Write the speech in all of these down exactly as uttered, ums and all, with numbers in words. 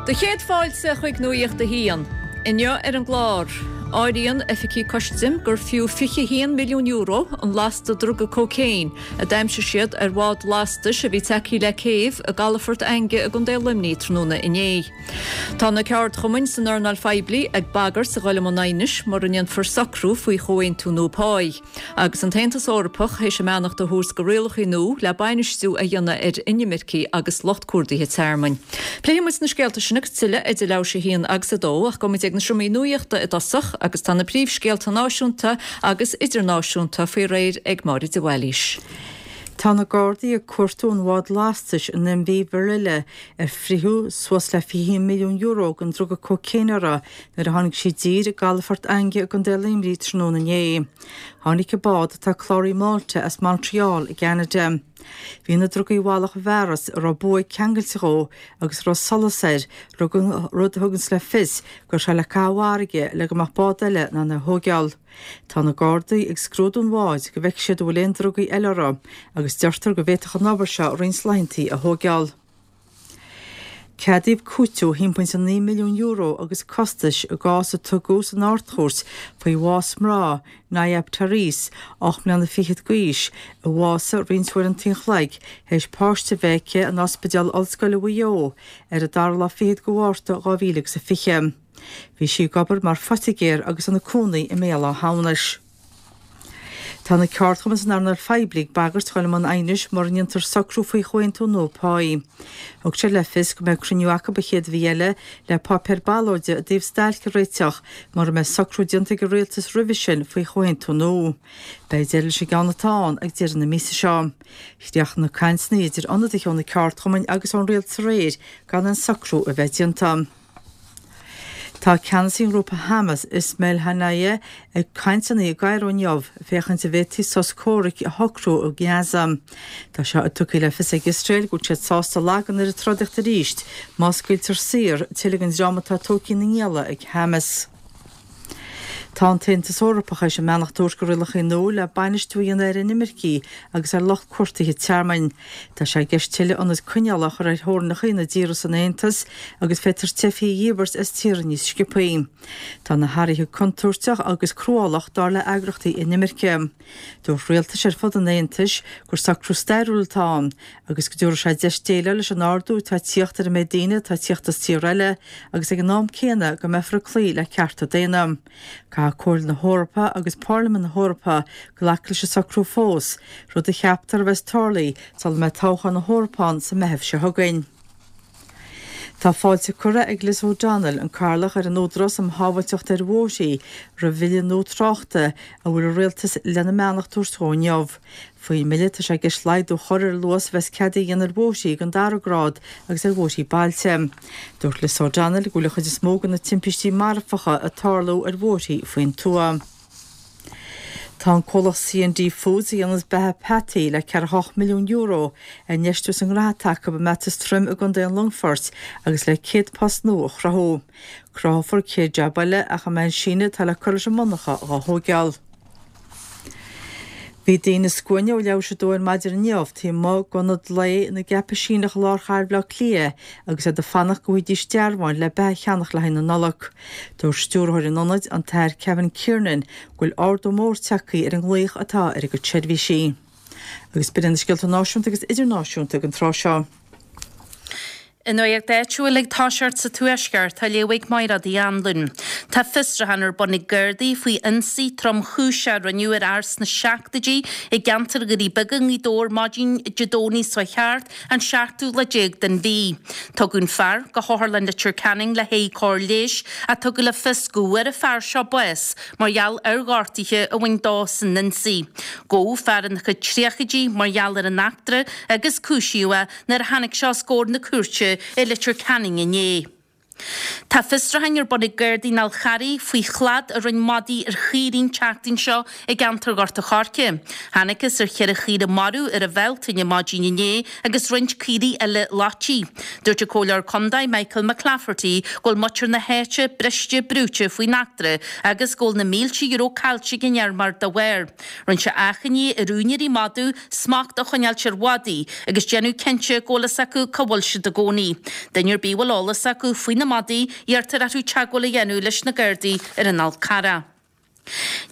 Do chéad fáilte chuig Nuacht a hAon. Inniu ar an gclár. Áiríonn oifigigh custaim gur fiú fiche haon milliún euro an lasta druga cócaon a d'aimsigh siad ar bhád lastais a bhí tagtha le céibh i gcalafort Fhainge i gContae Luimnigh tráthnóna inné. Tá na ceardchumainn san earnáil phoiblí ag bagairt a dhul i mbun aighnis mura ndéanfar socrú faoi chomhaontú nua páí. Agus an tAontas Eorpach théis a mbeannacht a thabhairt do rialacha nua le bainistiú a dhéanamh ar inimircigh agus lucht cuardaithe tearmainn. Pléifidh muid na scéalta sin agus tuilleadh idir leathuair tar éis a haon agus a dó ach gabhfaidh muid ag na seomraí nuachta i dtosach agus tá na príomhscéalta náisiúnta agus idirnáisiúnta faoi réir ag Máire de Bhailís. Tá na Gardaí ag cuartú an bháid lastais an MV Virilla ar fritheadh suas le fiche milliún euro den druga cócaon uirthi nuair a tháinig sí i dtír i gcalafort Fhainge i gContae Luimnigh tráthnóna inné. Tháinig an bád atá cláraithe i Malta as Montreal i gCeanada. Bhí na drugaí i bhfalach i bhfearas a raibh buaidh ceangailte dhó agus raibh solas air rud a thugann le fios go raibh sé le caitheamh i bhfarraige le go mbeadh bád eile in ann é a thógáil. Tá na Gardaí ag scrúdú an bháid go bhfeicfidh siad an bhfuil aon drugaí eile uirthi agus deirtear go bhféadfadh an obair seo roinnt laethanta a thógáil. Ceadaíodh cúiteamh a haon pointe naoi milliún euro agus costais i gcás a tugadh san Ard-Chúirt faoi bhás mná Nayab Tariq, ocht mbliana fichead d'aois, a bhásaigh roinnt uaireanta an chloig théis páiste a bheith aici in Ospidéal Ollscoile Mhaigh Eo ar an dara lá fichead de Mhárta dhá mhíle agus a fiche. Bhí sí ag obair mar phoitigéir agus ina cónaí i mBéal Átha hAmhnais. Tá na ceardchumainn san earnáil phoiblí ag bagairt dul i mbun aighnis mura ndéantar socrú faoi chomhaontú nua páí. Thug siad le fios go mbeidh cruinniú acu an chéad mhí eile le páipéar ballóide i dtaobh stailc a réiteach mura mbeidh socrú déanta ag an rialtas roimhe sin faoi chomhaontú nua. Beidh deireadh leis an gceann atá ann ag deireadh na míosa seo. Chríochnaigh na cainteanna idir ionadaithe ó na ceardchumainn agus ón rialtas aréir gan aon socrú a bheith déanta. Tá ceannasaí an ghrúpa Hamas Ismail Haniyeh ag cainteanna i gCairo inniu féachaint an bhféadfaí sos comhraic a shocrú i nGaza. Tá sé tugtha le fios ag Iosrael go bhfuil siad sásta lagan ar an trodaíocht arís má scaoiltear saor tuilleadh den dream atá tógtha ina ngialla ag Hamas. Tá an tAontas Eorpach théis a mbeannacht a thabhairt do rialacha nua le bainistiú a dhéanamh ar inimircigh agus ar lucht cuartaithe tearmainn. Tá sé i gceist tuilleadh ionad coinneála a chur ar theorainneacha na dtíortha san Aontas agus féadfar teifigh a dhíbirt as tíortha níos sciobthaí. Tá na hathruithe contúirteach agus cruálach dar le heagraíochtaí inimirce. Dúirt rialtais ar fud an Aontais gur socrú stairiúil atá ann agus go dtabharfaidh sé deis déileáil leis an ardú atá ag tíocht ar an méid daoine atá ag tíocht as tír eile agus ag an am céanna go mbeifear ag cloí le cearta daonna. Caithfidh Comhairle na hEorpa agus Parlaimint na hEorpa glacadh leis an socrú fós, rud a cheaptar a bheas tarlaithe sula mbeidh toghchán na hEorpa ann sa Mheitheamh seo chugainn. Tá fáilte curtha ag Liz O'Donnell, an Cathaoirleach ar an Údarás um Shábháilteacht ar Bhóithre, roimh bhille nua tráchta a bhfuil an rialtas lena mbeannacht a thabhairt dó inniu. Faoin mbille tá sé i gceist laghdú a chur ar an luas a bheas ceadaithe a dhéanamh ar bhóithre den dara grád agus ar bhóithre bailte. Dúirt Liz O'Donnell go bhfuil an chuid is mó de na timpistí marfacha ag tarlú ar bhóithre faoin tuath. Tá an comhlacht C and D Foods a dhéananns beatha peataí le ceathracha hocht milliún euro a infheistiú sa ngnóthaí acu i mBeatas Troim i gContae an Longfoirt agus le céad post nua a chruthú. Cruthófar céad jab eile ach a mbeidh an síneadh atá le cur leis an monarcha dhá thógáil. Bhí daoine scuaine ó leathuair tar éis a dó ar maidin inniu taobh amuigh d'ionad lae na gCaipisíneach i lár chathair Bhaile Átha Cliath agus iad ag fanacht go bhfaighidís dearbháin le beatha a cheannach le haghaidh na Nollag. Dúirt stiúrthóir an ionaid an tAthair Kevin Kiernan go bhfuil ardú mór tagtha ar an nglaoch atá ar a gcuid seirbhísí. Agus b'in na scéalta náisiúnta agus idirnáisiúnta ag an tráth seo. An nuacht áitiúil ag toiseacht sa Tuaisceart á léamh ag Máire Uí Anluain. Tá fiosrúchán ar bun ag Gardaí faoi ionsaí tromchúiseach a rinneadh ar fhear sna seachtóidí i gceantar Dhoirí Beaga i nGaoth Dobhair maidin Dé Domhnaigh seo thart an seachtú lá déag den mhí. Tugadh an fear go hOtharlann Leitir Ceanainn le haghaidh cóir leighis ach tugadh le fios go bhfuair an fear seo bás mar gheall ar ghortuithe a bhain dó san ionsaí. Gabhadh fear ina chuid tríochaidí mar gheall ar an eachtra agus cúisíodh é nuair a tháinig sé os comhair na cúirte i Leitir Ceanainn inné. Tá fiosrúchán ar bun ag Gardaí an Fhál Charraigh faoi shlad a rinne madaí ar chaoirigh an tseachtain seo i gceantar Ghort a' Choirce. Thángthas ar cheithre chaora marbh ar an Bhealtaine maidin inné agus roinnt caoirigh eile loitithe. Dúirt an Comhairleoir Contae Michael McClafferty go bhfuil muintir na háite briste brúite faoin eachtra agus go bhfuil na mílte euro caillte ag an fheirmeoir dá bharr. Rinne sé achainí ar úinéirí madadh smacht a choinneáilt ar mhadaí agus déanamh cinnte go bhfuil fhios acu cá bhfuil siad i gcónaí. Duine ar bith a bhfuil eolas acu faoi na madaí, iarrtar orthu teagmháil a dhéanamh leis na Gardaí ar an Fhál Carrach.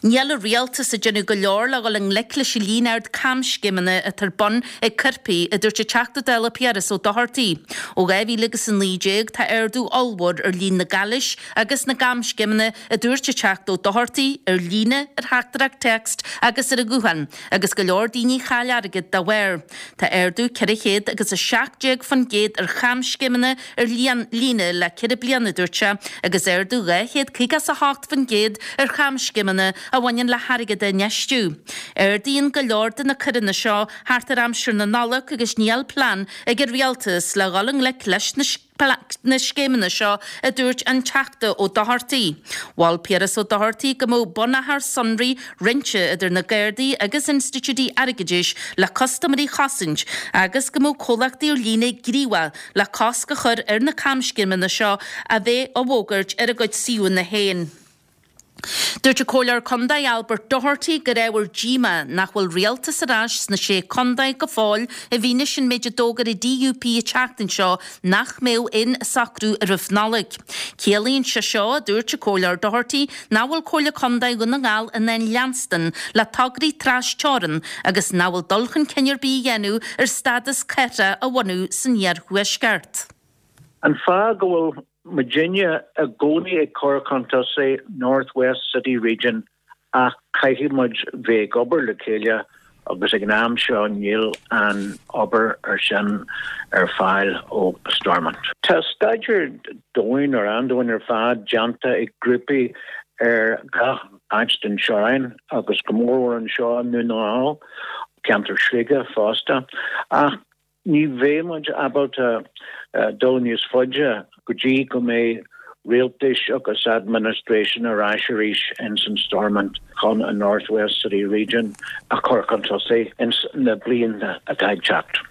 Níl an rialtas ag déanamh go leor le dhul i ngleic leis an líon ard camscéimeanna atá ar bun ag coirpigh, a dúirt an Teachta Dála Piaras Ó Dochartaigh. Ó dhá mhíle agus a naoi déag tá ardú ollmhór ar líon na gcalaois agus na gcamscéimeanna, a dúirt an Teachta Ó Dochartaigh, ar líne, ar theachtaireacht téacs agus ar an ghuthán, agus go leor daoine a chaill airgead dá bharr. Tá ardú ceithre chéad agus a seacht déag faoin gcéad ar chamscéimeanna ar líne le ceithre bliana, a dúirt sé, agus ardú dhá chéad caoga is a hocht faoin gcéad ar chamscéimeanna a bhaineann le hairgead a infheistiú. Ardaíonn go leor de na coireanna seo thart ar aimsir na Nollag agus níl plean ag an rialtas le dhul i ngleic leis na na scéimeanna seo, a dúirt an Teachta Ó Dochartaigh. Mhol Piaras Ó Dochartaigh go mbeadh bunachar sonraí roinnte idir na Gardaí agus institiúidí airgeadais le custaiméirí a chosaint agus go mbeadh comhlachtaí ar líne gníomhach le cosc a chur ar na camscéimeanna seo a bheith á bhfógairt ar a gcuid suíomhanna féin. Dúirt an Comhairleoir Contae Albert Doherty gur ábhar díomá nach bhfuil rialtas ar ais sna Sé Chontae go fóill i bhfianaise an méid a d'fhógair an DUP an tseachtain seo nach mbeadh aon socrú roimh Nollaig. Ciallaíonn sé seo, a dúirt an Comhairleoir Doherty, nach bhfuil Comhairle Contae Dhún na nGall in ann leanstan le tograí tras-teorann agus nach bhfuil dul chun cinn ar bith á dhéanamh ar stádas cathrach a bhunú san iarthuaisceart. An fáth go bhfuil muidinne i gcónaí ag cur chun tosaigh North West City Region ach caithfidh muid bheith ag obair le chéile agus ag an am seo níl an obair ar sin ar fáil ó Stormont. Tá staidéar domhain ar an-domhain ar fad déanta ag grúpaí ar gach áit den teorainn agus go mór anseo i nDún na nGall, ceantar Shligigh fosta, ach ní bheidh muid ábalta dul níos faide go dtí go mbeidh rialtais agus administration ar ais arís ins an Stormont chun an North West City Region a chur chun tosaigh ins na blianta atá ag teacht.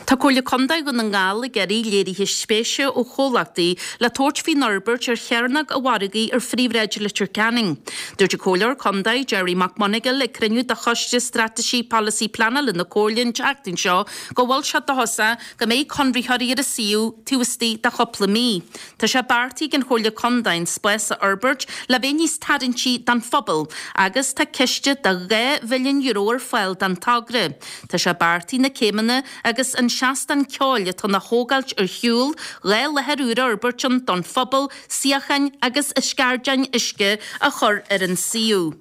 Tá Comhairle Contae Dhún na nGall ag iarraidh léirithe spéise ó chomhlachtaí le tabhairt faoin fhorbairt ar Chearnóg an Mhargaidh ar phríomhshráid Leitir Ceanainn. Dúirt an Comhairleoir Contae Gerry McMonagall ag cruinniú de Choiste Straitéisí Polasaí Pleanála na Comhairle an tseachtain seo go bhfuil sé dóchasach go mbeidh conraitheoirí ar an suíomh taobh istigh de chúpla mí. Tá sé beartaithe ag an Chomhairle Contae an spás a fhorbairt le bheith níos tarraingtí don phobal agus tá ciste de dhá mhilliún euro ar fáil don togra. Tá sé beartaithe na céimeanna agus an seastán ceoil atá á thógáilt ar shiúl, dhá láthair úr a fhorbairt ann don phobal, suíocháin agus scairdeáin uisce a chur ar an suíomh.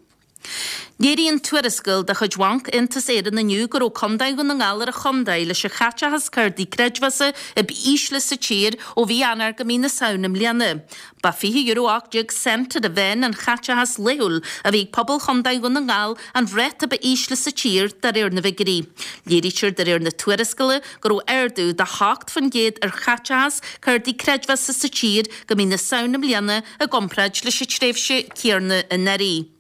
Léiríonn tuarascáil de chuid Bhanc Aontas Éireann inniu go raibh Contae Dhún na nGall ar an chontae leis an chaiteachas cártaí creidmheasa ab ísle sa tír ó mhí Eanáir go mí na Samhna i mbliana. Ba fiche euro ocht déag cent ar an mheán an chaiteachas laethúil a bhí ag pobal Chontae Dhún na nGall, an ráta ba ísle sa tír de réir na bhfigiúirí. Léirítear de réir na tuarascála go raibh ardú de hocht faoin gcéad ar chaiteachas cártaí creidmheasa sa tír go mí na Samhna i mbliana i gcomparáid leis an tréimhse chéanna anuraidh.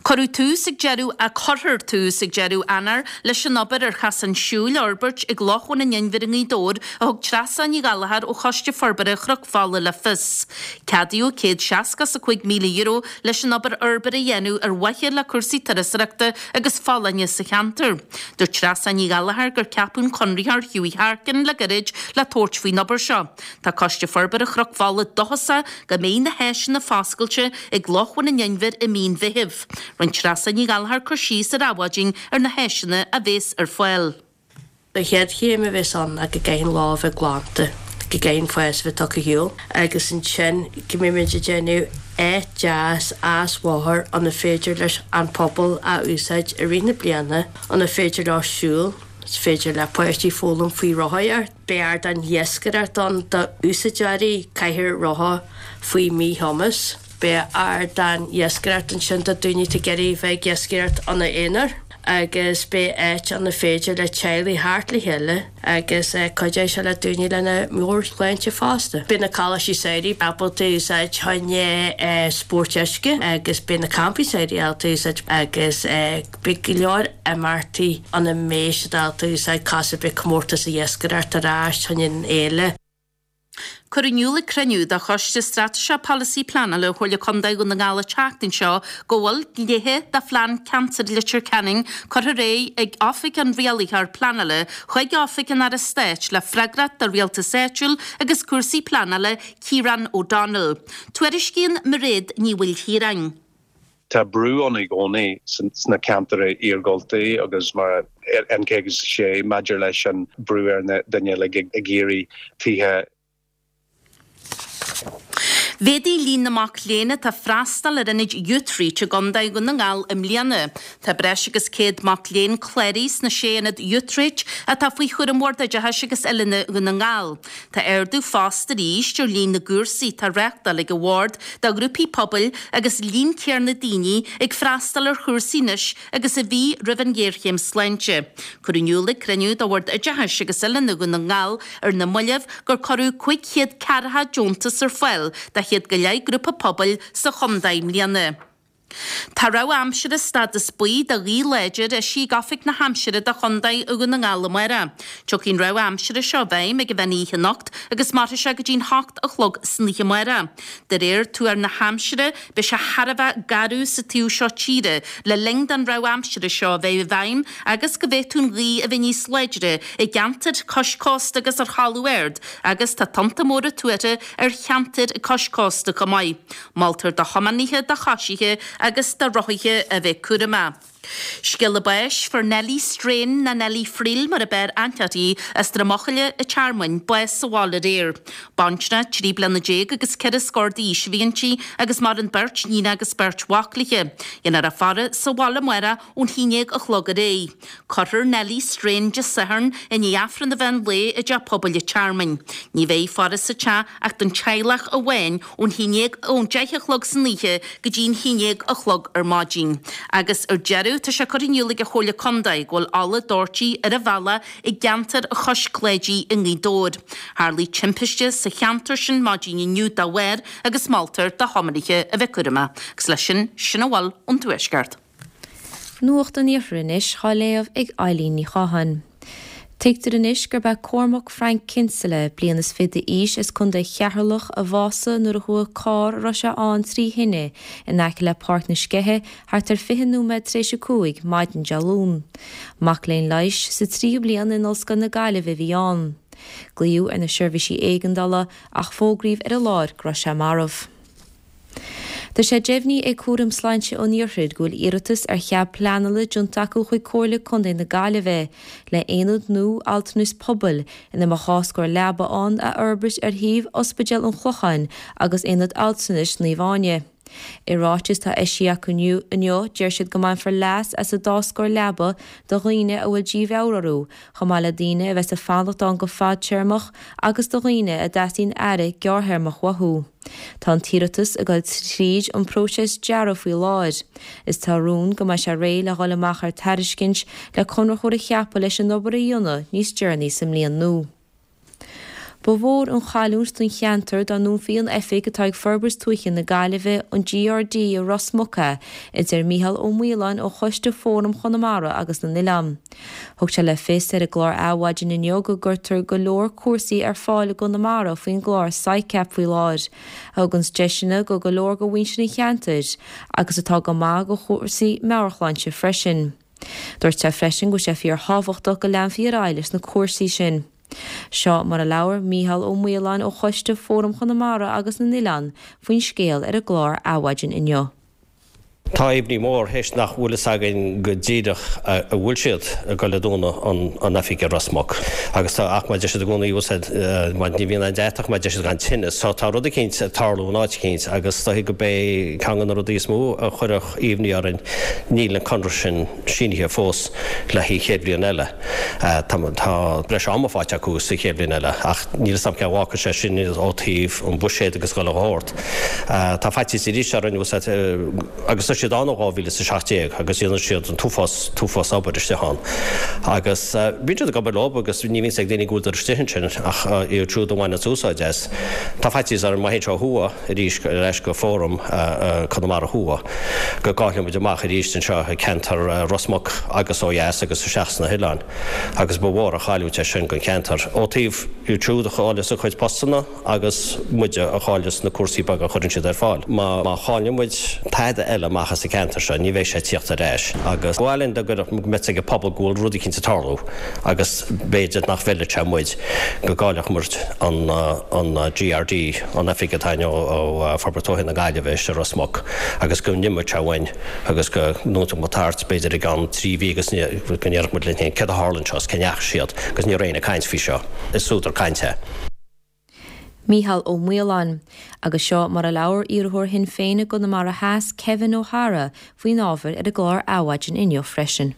Cuireadh tús ag deireadh a Cuirfear tús ag deireadh Eanáir leis an obair ar chasán siúil a fhorbairt ag Loch Bhun an Inbhir i nGaoth Dobhair, a thug Treasa Ní Ghallchóir ó Choiste Forbartha Chnoc Fola le fios. Ceadaíodh céad seasca is a cúig míle euro leis an obair fhorbartha a dhéanamh ar mhaithe le cúrsaí turasóireachta agus folláine sa cheantar. Dúirt Treasa Ní Ghallchóir gur ceapadh an conraitheoir Hughie Harkin le gairid le tabhairt faoin obair seo. Tá Coiste Forbartha Chnoc Fola dóchasach go mbeidh na háiseanna foscailte ag Loch Bhun an Inbhir i mí an Mheithimh. Rinne Treasa Ní Ghallchóir cur síos ar Adhmhaidin ar na háiseanna a bheas ar fáil. An chéad chéim a bheas ann ná go gcaithfidh an loch bheith glanta, go gcaithfidh an fás bheith tugtha ar shiúl agus ansin go mbeidh muid ag déanamh áit deas easbhóthair ina féidir leis an pobal a úsáid i rith na bliana, ina féidir leo siúl, is féidir le páistí foghlaim faoi rothaíocht. Beidh ardán iascaireachta ann d'úsáideoirí cathaoir rotha faoi mhíchumas. Beidh ardán iascaireachta ansin do daoine atá ag iarraidh bheith ag iascaireacht ina aonar. agus beidh áit ann ar féidir le teaghlaigh theacht le chéile agus cuideoidh sé le daoine lena meabhairshláinte fosta. Beidh na coláistí samhraidh ábalta úsáid chun spóirt uisce agus beidh na campaí samhraidh ábalta úsáid agus beidh go leor imeachtaí ann a mbeidh siad ábalta úsáid cosúil beidh comórtas iascaireachta ar ais chun an fhéile. Cuireadh in iúl ag cruinniú de Choiste Straitéiseach Polasaí Pleanála Chomhairle Contae Dhún na nGall an tseachtain seo go bhfuil gnéithe de Phlean Ceantair Leitir Ceanainn curtha ar aghaidh ag Oifig an Rialaitheoir Pleanála chuig Oifig an Aire Stáit le freagracht do Rialtas Áitiúil agus Cúrsaí Pleanála, Kieran O'Donnell. Tuairiscíonn Mairéad Ní Mhaoilchiaráin. Tá brú ann i gcónaí sna ceantair iargúlta agus mar N caoga is a sé maidir leis an brú ar na daoine ag iarraidh tithe Mhéadaigh líon na mac léinn atá ag freastal ar ionaid Youthreach i gContae Dhún na nGall i mbliana. Tá breis agus céad mac léinn cláraithe sna sé ionad Youthreach atá faoi chúram Bhord Oideachais agus Oiliúna Dhún na nGall. Tá ardú fosta arís ar líon na gcúrsaí atá á reáchtáil ag an Bhord do ghrúpaí pobail agus líon céanna daoine ag freastal ar chúrsaí anois agus a bhí roimh an ghéarchéim sláinte. Cuireadh in iúl ag cruinniú de Bhord Oideachais agus Oiliúna Dhún na nGall ar na mallaibh gur cuireadh cúig chéad ceathracha deontas ar fáil do chéad go leith grúpa pobail sa chontae i mbliana. Tá rabhadh aimsire stádas buí do ghaoth láidir eisithe ag Oifig na hAimsire do Chontae Dhún na nGall amárach. Tiocfaidh an rabhadh aimsire seo i bhfeidhm ag an mheán oíche anocht agus mairfidh sé go dtí'n hocht a chlog san oíche amárach. De réir tuar na haimsire, beidh sé thar a bheith garbh sa taobh seo tíre le linn don rabhadh aimsire seo a bheith i bhfeidhm agus go bhféadfadh an ghaoth a bheith níos láidre i gceantair cois cósta agus ar thalamh ard agus tá tonnta móra tuartha ar cheantair cois cósta chomh maith. Moltar do thiománaithe, do choisithe agus do rothaithe a bheith cúramach. Scéala báis, Fuair Nellie Strain nó Nellie Friel mar a b'fhearr aithne uirthi, as Droim Eochaille an Tearmainn, bás sa bhaile aréir. Baintreach trí bliana déag agus ceithre scór d'aois a bhí inti agus maireann beirt níon agus beirt mhac léi. Déanfar a faire sa bhaile amárach ón haon déag a chlog ar aghaidh. Cuirfear Nellie Strain Dé Sathairn i ndiaidh Aifreann an mheán lae i dteach pobail an Tearmainn. Ní bheidh faire sa teach ach don teaghlach amháin ón haon déag ón deich a chlog san oíche go dtí'n haon déag a chlog ar maidin. Agus ar deireadh, tá sé curtha in iúl ag an Chomhairle Contae go bhfuil ola doirte ar an bhealach i gceantar Chois Cláidí i nGaoth Dobhair. Tharlaigh timpiste sa cheantar sin maidin inniu dá bharr agus moltar do thiománaithe a bheith cúramach. Agus leis sin, sin a bhfuil ón Tuaisceart. Nuacht an Iarthair anois á léamh ag Eileen Ní Chatháin. Tuigtear anois gurb é Cormac Frank Kinsella, bliain is fiche d'aois as Contae Cheatharlach, a bhásaigh nuair a chuaigh carr a raibh sé ann trí thine in aice le Páirc na Sceiche thart ar fiche nóiméad tar éis a cúig maidin Dé Luain. Mac léinn leighis sa tríú bliain in Ollscoil na Gaillimhe a bhí ann. Glaodh ar na seirbhísí éigeandála ach fógraíodh ar an láthair go raibh sé marbh. Tá sé deimhnithe ag Cúram Sláinte an Iarthair go bhfuil iarratas ar chead pleanála déanta acu chuig Comhairle Contae na Gaillimhe le haonad nua altranais pobail ina mbeadh dhá scór leaba ann a fhorbairt ar shuíomh Ospidéal an Chlocháin agus Aonad Altranais Naomh Áine. I ráiteas atá eisithe acu inniu, deir siad go mbainfear leas as an dá scór leaba do dhaoine a bhfuil dímheabhair orthu, chomh maith le daoine a bheas ag fanacht ann go fadtéarmach agus do dhaoine a dteastaíonn aire gearrthéarmach uathu. Tá an t-iarratas ag dul tríd an bpróiseas dearaidh faoi láthair. Is tá rún go mbeidh sé réidh le dhul amach ar tairiscint le conraitheoir a cheapadh leis an obair a dhéanamh níos deireanaí sa mbliain nua. Ba mhór an chailliúint don cheantar dá ndúnfaí an oifig atá ag Forbairt Tuaithe na Gaillimhe, an GRD i Ros Muc, a deir Mícheál Ó Maoláin ó Choiste Fóram Chonamara agus na nOileán. Thug sé le fios ar an gclár Adhmhaidin inniu go gcuirtear go leor cúrsaí ar fáil i gConamara faoin gclár SICAP faoi láthair, a thuganns deiseanna go go leor de mhuintir an cheantair agus atá go maith do chúrsaí meabhairshláinte freisin. Dúirt sé freisin go bhfuil sé fíorthábhachtach go leanfaí ar aghaidh leis na cúrsaí sin. Seo mar a labhair Mícheál Ó Maoláin ó Choiste Fóram Chonamara agus na nOileán faoin scéal ar an gclár Adhmhaidin inniu. Tá imní mór théis nach bhfuil fhios againn go díreach a bhfuil siad ag goil a dúnadh an oifig i Ros Muc. Agus tá ach mar deir siad i gcónaí úsáid mar ní bhíonn aon deatach mar deir siad gan tine. So tá rud eicínt ag tarlú in áit eicínt agus is dóichí go b'é ceann de na rudaí is mó a chuirfeadh imní orainn níl an conradh sin sínithe fós le haghaidh chéad bhliain eile. Tá breis ama faighte acu sa chéad bhliain eile ach níl fhios agam cén bhfágfaidh sé sin ó thaobh an buiséad agus chuile shórt. Tá faitíos arís orainn agus siad ann ó dhá mhíle is a seacht déag agus déanann siad an t-uafás, t-uafás obair istigh ann. Agus bíonn siad ag obair leo agus ní bhíonns ag daoine go bhfuil istigh ansin ach iad siúd a bhaineanns úsáid as. Tá faitíos orm má théann sé ó thuaidh arís ar ais go Fóram Conamara Thuaidh go gcaillfidh muid amach arís anseo i gceantar Ros Muc agus ó dheas agus isteach sna hoileáin agus ba mhór an chailliúint é sin don cheantar. Ó taobh iad siúd a chailleas a gcuid postanna agus muide a chailleas na cúrsaí beaga a chuireann siad ar fáil. Má chailleann muid tada eile amach as an gceantar seo, ní bheidh sé ag tíocht ar ais. Agus ba mhaith linn dá go mbeadh ag an pobal go bhfuil rud eicínt ag tarlú agus b'fhéidir nach bhfeilfeadh sé muid go gcaillfeadh muid an GRD, an oifig atá againn ó Forbairt Tuaithe na Gaillimhe i Ros Muc agus go n-imeodh sé uainn agus go ndúnfadh muid thart b'fhéidir i gceann trí mhí agus go ndéarfadh muid linn féin céard a tharla anseo is cá ndeachaigh siad agus ní raibh éinne ag caint faoi seo. Is údar cainte é. Mícheál Ó Maoláin. Agus seo mar a labhair iarrthóir Shinn Féin i gConamara Theas, Kevin O'Hara, faoin ábhar ar an gclár Adhmhaidin inniu freisin.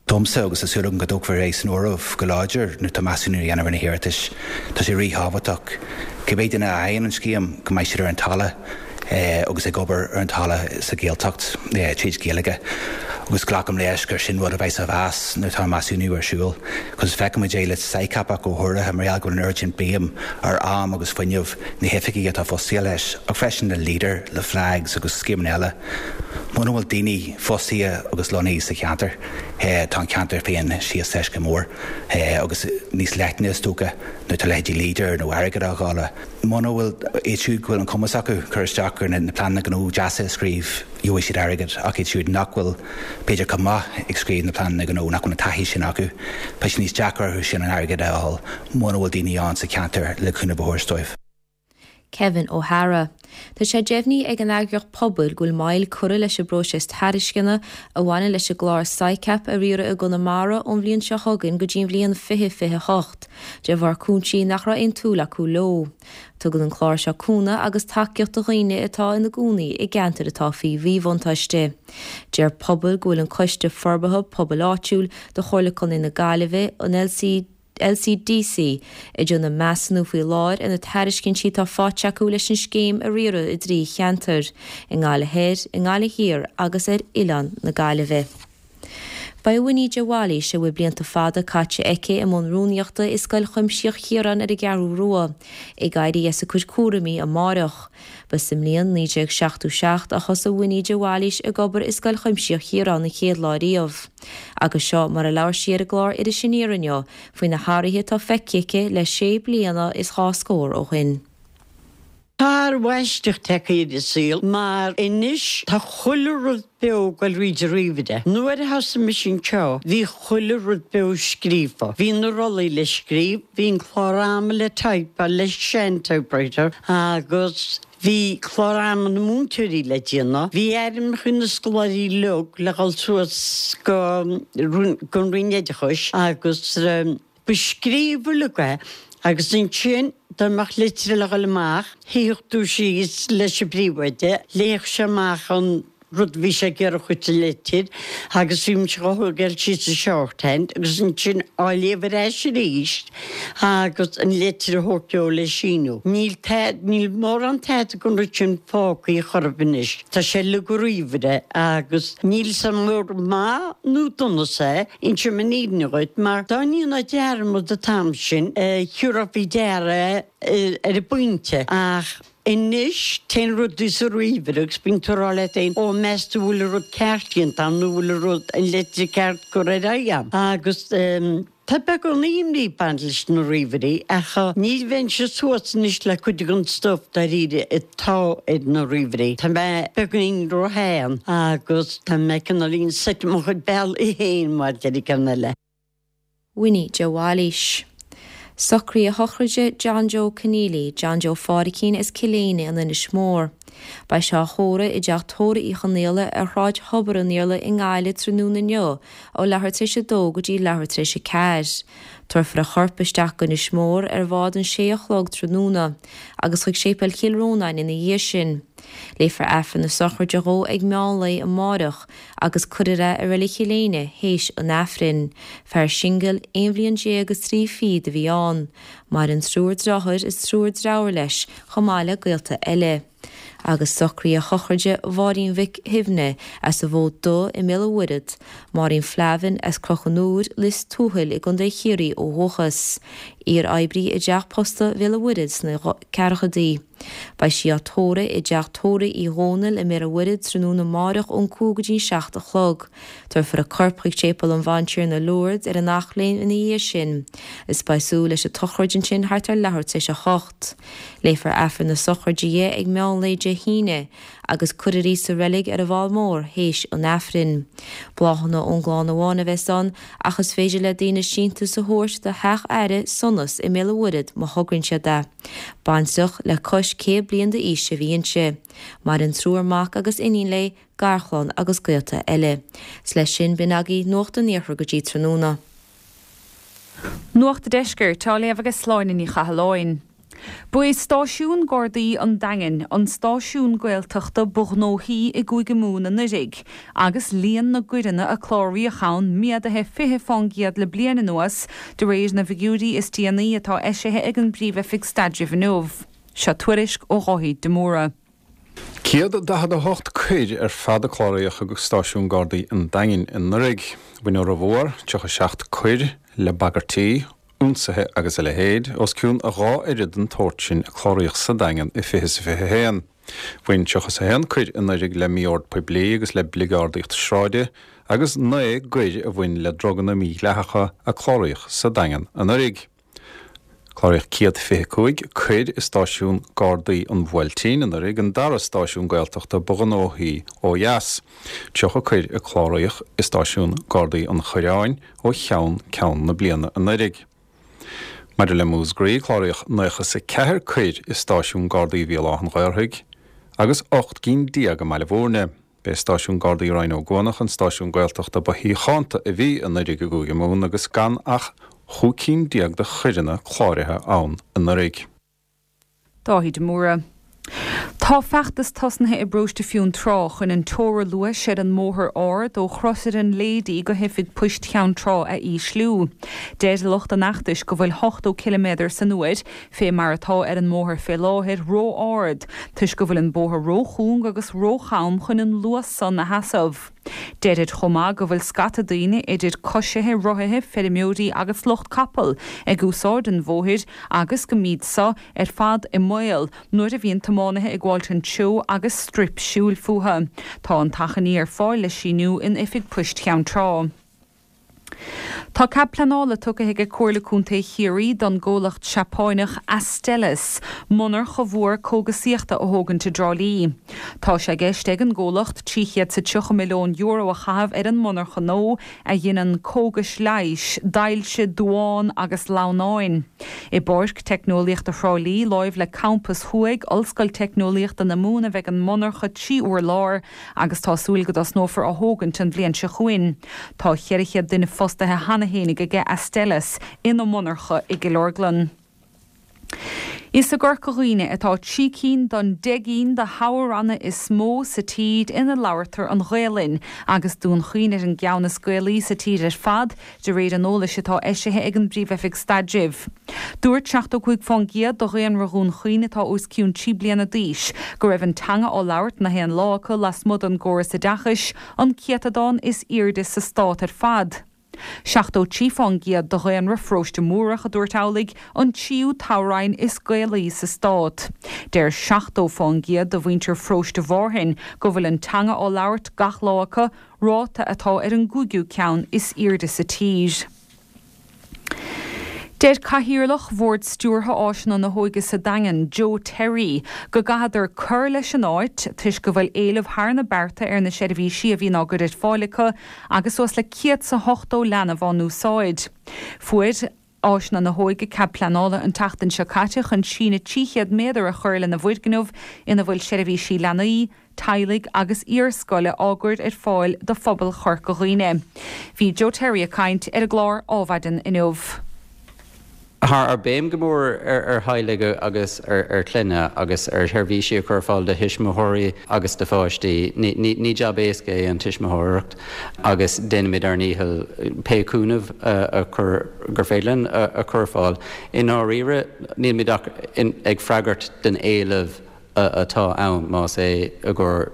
Domsa, agus tá súil agam go dtógfar é san áireamh go láidir nuair atá measúnú á dhéanamh ar na hiarratais, tá sé ríthábhachtach, cibé duine a fhaigheann an scéim, go mbeidh siad ar an talamh agus ag obair ar an talamh sa Ghaeltacht tríd Ghaeilge. Agus glacaim leis gur sin rud a bheidh á mheas nuair atá an measúnú ar siúl. Cos feicimid é le SICAP ach go háirithe mar gheall go bhfuil an oiread sin béim ar am agus fuinneamh na hoifigigh atá fostaithe leis, ach freisin le Leader, le Flags agus scéimeanna eile. Muna bhfuil daoine fostaithe agus lonnaithe sa cheantar, tá an ceantar féin síos leis go mór agus níos leithne is dócha nuair atá leithéidí Leader nó airgead á dháileadh. Muna bhfuil iad siúd go bhfuil an cumas acu cur isteach ar na pleananna gnó deasa a scríobh, gheobhaidh siad airgead, ach iad siúd nach bhfuil b'fhéidir chomh maith ag scríobh na pleananna gnó, nach bhfuil an taithí sin acu, beidh sé níos deacra orthu sin an airgead a fháil muna bhfuil daoine ann sa cheantar le cúnamh a thabhairt dóibh. Kevin O'Hara. Tá sé deimhnithe ag an eagraíocht Pobal go bhfuil moill curtha leis an bpróiseas tairisceana a bhaineann leis an gclár SICAP a riaradh i gConamara ón bhliain seo chugainn go dtí an bhliain fiche fiche a hocht, de bharr cúinsí nach raibh aon tsúil acu leo. Tugann an clár seo cúnamh agus tacaíocht do dhaoine atá ina gcónaí i gceantair atá faoi mhíbhuntáiste. Deir Pobal go bhfuil an Coiste Forbartha Pobail Áitiúil do Chomhairle Contae na Gaillimhe, an LC, LCDC, ag déanamh measúnú faoi láthair ar na tairiscintí atá faighte acu leis an scéim a riaradh i dtrí cheantar, i nGaillimh Thoir, i nGaillimh Thiar agus ar Oileán na Gaillimhe. Beidh Winnie de Bhailís, a bhfuil blianta fada caite aici i mbun rúnaíochta i Scoil Chuimsitheach Chiaráin ar an gCeathrú Rua, ag éirí as a cuid cúraimí amárach. Ba sa mbliain naoi déag seachtó seacht a thosaigh Winnie de Bhailís ag obair i Scoil Chuimsitheach Chiaráin an chéad lá riamh. Agus seo mar a labhair sí ar an gclár Iris Aniar inniu faoi na hathruithe atá feicthe aici le sé bliana is dhá scór ó shin. Tá athrú aisteach tagtha ar an saol mar anois tá chuile rud beo ag goil thríd an ríomhaire. Nuair a thosaigh mise anseo bhí chuile rud beo scríofa. Bhí na rollaí le scríobh, bhí an clár ama le typeáil le sean-typewriter agus bhí clár ama na múinteoirí le déanamh. Bhí ainmneacha na scoláirí uilig le dhul suas go gon Roinn Oideachais agus ba scríofa uilig é agus ansin dá mbeadh litir le dhul amach, shuífeadh tú síos leis an bpríomhoide, léifeadh sé amach an rud a bhí sé ag iarraidh a chur sa litir agus bhí mise á thógáil síos sa shorthand agus ansin á léamh ar ais arís agus an litir a thabhairt dó le síniú. Níl níl mórán tada den rud sin fágtha chor ar bith anois. Tá sé uilig ar ríomhaire agus níl 's a'm an maith nó donas é, Inseoidh mé an fhírinne dhuit, mar dá ndéanfá dearmad an t-am sin, thiúrfá faoi deara é ar an bpointe, ach anois téann rudaí sa ríomhaire agus bíonn tú ag rá leat féin, ó, meas tú bhfuil an rud ceart déanta agam nó bhfuil an rud, an litir ceart curtha ar aghaidh agam. Agus tá beagán imní ag baint leis na ríomhairí, ach ní bheinnse suas anois le cuid den stuif dáiríre atá ar na ríomhairí. Tá mé beagáinín róshean agus tá mé cineáilín set i mo chuid bealaí féin mar a deir an ceann eile. Winnie de Bhailís. Socruithe sochraide John Joe Conneely, John Joe Phádraicín as Cill Éinne in Inis Mór. Beidh sé á thórramh i dTeach Tórraimh Uí Chonaola ar Shráid Thobar an Iarla i nGaillimh tráthnóna inniu ó leathuair tar éis a dó go dtí leathuair tar éis a ceathair. Tabharfar a chorp isteach go Inis Mór ar bhád an sé a chlog tráthnóna agus chuig Séipéal Chill Rónáin ina dhiaidh sin. Léifear Aifreann na sochraide dhó ag meán lae amáireach agus cuirfear é i Reilig Chill Éinne théis an Aifrinn. Fear singil aon bhliain déag is trí fichid a bhí ann. Maireann triúr deartháir is triúr deirfiúr leis chomh maith le gaolta eile. Agus socruithe sochraide Mháirín Mhic Shuibhne as an bhFód Dubh i mBéal an Mhuirthead, Máirín Flavin as Cnoc an Iúir, Lios Tuathail i gContae Chiarraí ó dhúchas. Iar-oibrí i dTeach Posta Bhéal an Mhuirthead sna ceathrachaidí. Beidh sí á tórramh i dTeach Tórraimh Uí Dhónaill i mBéal an Mhuirthead tráthnóna amáireach ón cúig go dtí an seacht a chlog. Tabharfar a corp chuig Séipéal an Bhantiarna Lourdes ar an Eachléim ina dhiaidh sin. Is beidh súil leis an tsochraid ansin thart ar leathuair tar éis a hocht. Léifear Aifreann na sochraide di ag meán lae Dé hAoine agus cuirfear í sa reilig ar an bhFál Mór théis an Aifrinn. Bláthanna ón gclann amháin a bheas ann ach is féidir le daoine síntiús a thabhairt do Theach Aire Sonas i mBéal an Mhuirthead má thograíonn siad é. Baintreach le cois céad bliain d'aois a bhí inti. Maireann triúr mac agus iníon léi, garchlann agus gaolta eile. 'S leis sin b'in agaibh Nuacht an Iarthair go dtí tráthnóna. Nuacht an Deiscirt á léamh ag Sláine Ní Chathalláin. Ba é Stáisiún Gardaí an Daingin an stáisiún Gaeltachta ba ghnóthaí i gCúige Mumhan anuraidh, agus líon na gcoireanna a cláraíodh ann méadaithe fiche fán gcéad le bliain anuas, de réir na bhfigiúirí is déanaí atá eisithe ag an bPríomh-Oifig Staidrimh inniu. Seo tuairisc ó Dháithí de Mórdha. Céad daichead a hocht coir ar fad a cláraíodh ag Stáisiún Gardaí an Daingin anuraidh. Bhain an formhór, tríocha seacht coir, le bagairtí, ionsaithe agus a leithéid, os cionn a dhá oiread den tsórt sin a cláraíodh sa Daingean i fiche is a fiche a haon. Bhain tríocha is a haon coir anuraidh le mí-ord poiblí agus le bligeardaíocht sráide agus naoi gcoir a bhain le druganna mídhleathacha a cláraíodh sa Daingean anuraidh. Cláraíodh céad fiche cúig coir i stáisiún Gardaí an Bhuailtín anuraidh, an dara stáisiún Gaeltachta ba ghnóthaí ó dheas. Tríocha coir a cláraíodh i stáisiún Gardaí an Choireáin ó cheann ceann na bliana anuraidh. Maidir le Múscraí, cláraíodh nócha is a ceathair coir i stáisiún Gardaí Bhéal Átha an Ghaorthaidh agus ocht gcinn déag i mBaile Bhúirne. B'é stáisiún Gardaí Rinn Ó gCuanach an stáisiún Gaeltachta ba shíochánta a bhí anuraidh i gCúige Mumhan agus gan ach chúig cinn déag de choireanna cláraithe ann anuraidh. Dáithí de Mórdha. Tá feachtas tosnaithe i bparóiste Fionntrá chun an teora luais ar an mbóthar ard ó Chrosaire an Lady go hoifig poist Cheann Trá a ísliú. Deir lucht an fheachtais go bhfuil ochtó ciliméadar san uair, fé mar atá ar an mbóthar fé láthair, ró-ard, toisc go bhfuil an bóthar ró-chúng agus ró-cham chun an luas san a sheasamh. Deirid chomh maith go bhfuil scata daoine, idir coisithe, rothaithe, feirmeoirí agus lucht capall, ag úsáid an bhóthair agus go mbíd so ar fad i mbaol nuair a bhíonn tiománaithe ag gabháilt an treo agus struip siúil fúthu. Tá an t-achainí ar fáil le síniú in Oifig Poist Cheann Trá. Tá cead pleanála tugtha ag Comhairle Contae Chiarraí don gcomhlacht Seapáineach Astellas monarcha mhór cógasaíochta a thógaint i dTrá Lí. Tá sé i gceist ag an gcomhlacht trí chéad 's a tríocha milliún euro a chaitheamh ar an monarcha nua a dhéanann cógais leighis d'ailse duán agus lamhnáin. I bPáirc Teicneolaíochta Thrá Lí, láimh le Campas Thuaidh Ollscoil Teicneolaíochta na Mumhan a bheidh an monarcha trí urlár agus tá súil go dtosnófar á thógaint an bhliain seo chugainn. Tá ceithre chéad duine fostaithe cheana fhéinig aige Astellas ina monarcha i gCill Orglan. Is i gCorca Dhuibhne atá trí cinn den deich gcinn de thoghranna is mó sa tír ina labhartar an Ghaelainn, agus Dún Chaoin ar an gceann is Gaelaí sa tír ar fad, de réir an eolais atá eisithe ag an bPríomh-Oifig Staidrimh. Dúirt seachtó cúig fán gcéad de dhaonra Dhún Chaoin atá os cionn trí bliana d'aois go raibh an teanga á labhairt na haon lá acu lasmuigh den gcóras oideachais, an céatadán is airde sa stát ar fad. Seachtó trí fán gcéad de dhaonra Pharóiste Múrach a dúirt amhlaidh, an tríú toghroinn is Gaelaí sa stát. Deir seachtó fán gcéad de mhuintir Pharóiste Mhárthain go bhfuil an teanga á labhairt gach lá acu, ráta atá ar an gcúigiú ceann is airde sa tír. Deir Cathaoirleach Bhord Stiúrtha Áiseanna na hÓige sa Daingean, Joe Terry, go gcaithfeadar cur leis an áit toisc go bhfuil éileamh thar na bearta ar na seirbhísí a bhíonn á gcur ar fáil acu agus suas le céad 's a hochtó leanbh á n-úsáid. Fuair Áiseanna na hÓige cead pleanála an tseachtain seo caite chun síneadh trí chéad méadar a chur lena bhfoirgneamh ina bhfuil seirbhísí leanaí, teaghlaigh agus iarscoile á gcur ar fáil do phobal Chorca Dhuibhne. Bhí Joe Terry ag caint ar an gclár Ádhmhaidin inniu. Tá ár béim go mór ar theaghlaigh agus ar chlanna agus ar sheirbhísí a chur ar fáil do thuismitheoirí agus do pháistí. Ní jab éasca é an tuismitheoireacht agus déanaimid ár ndícheall pé cúnamh a chur gur féidir linn a chur ar fáil. I ndáiríre, nílimid ach ag freagairt den éileamh atá ann, más é i gcomhair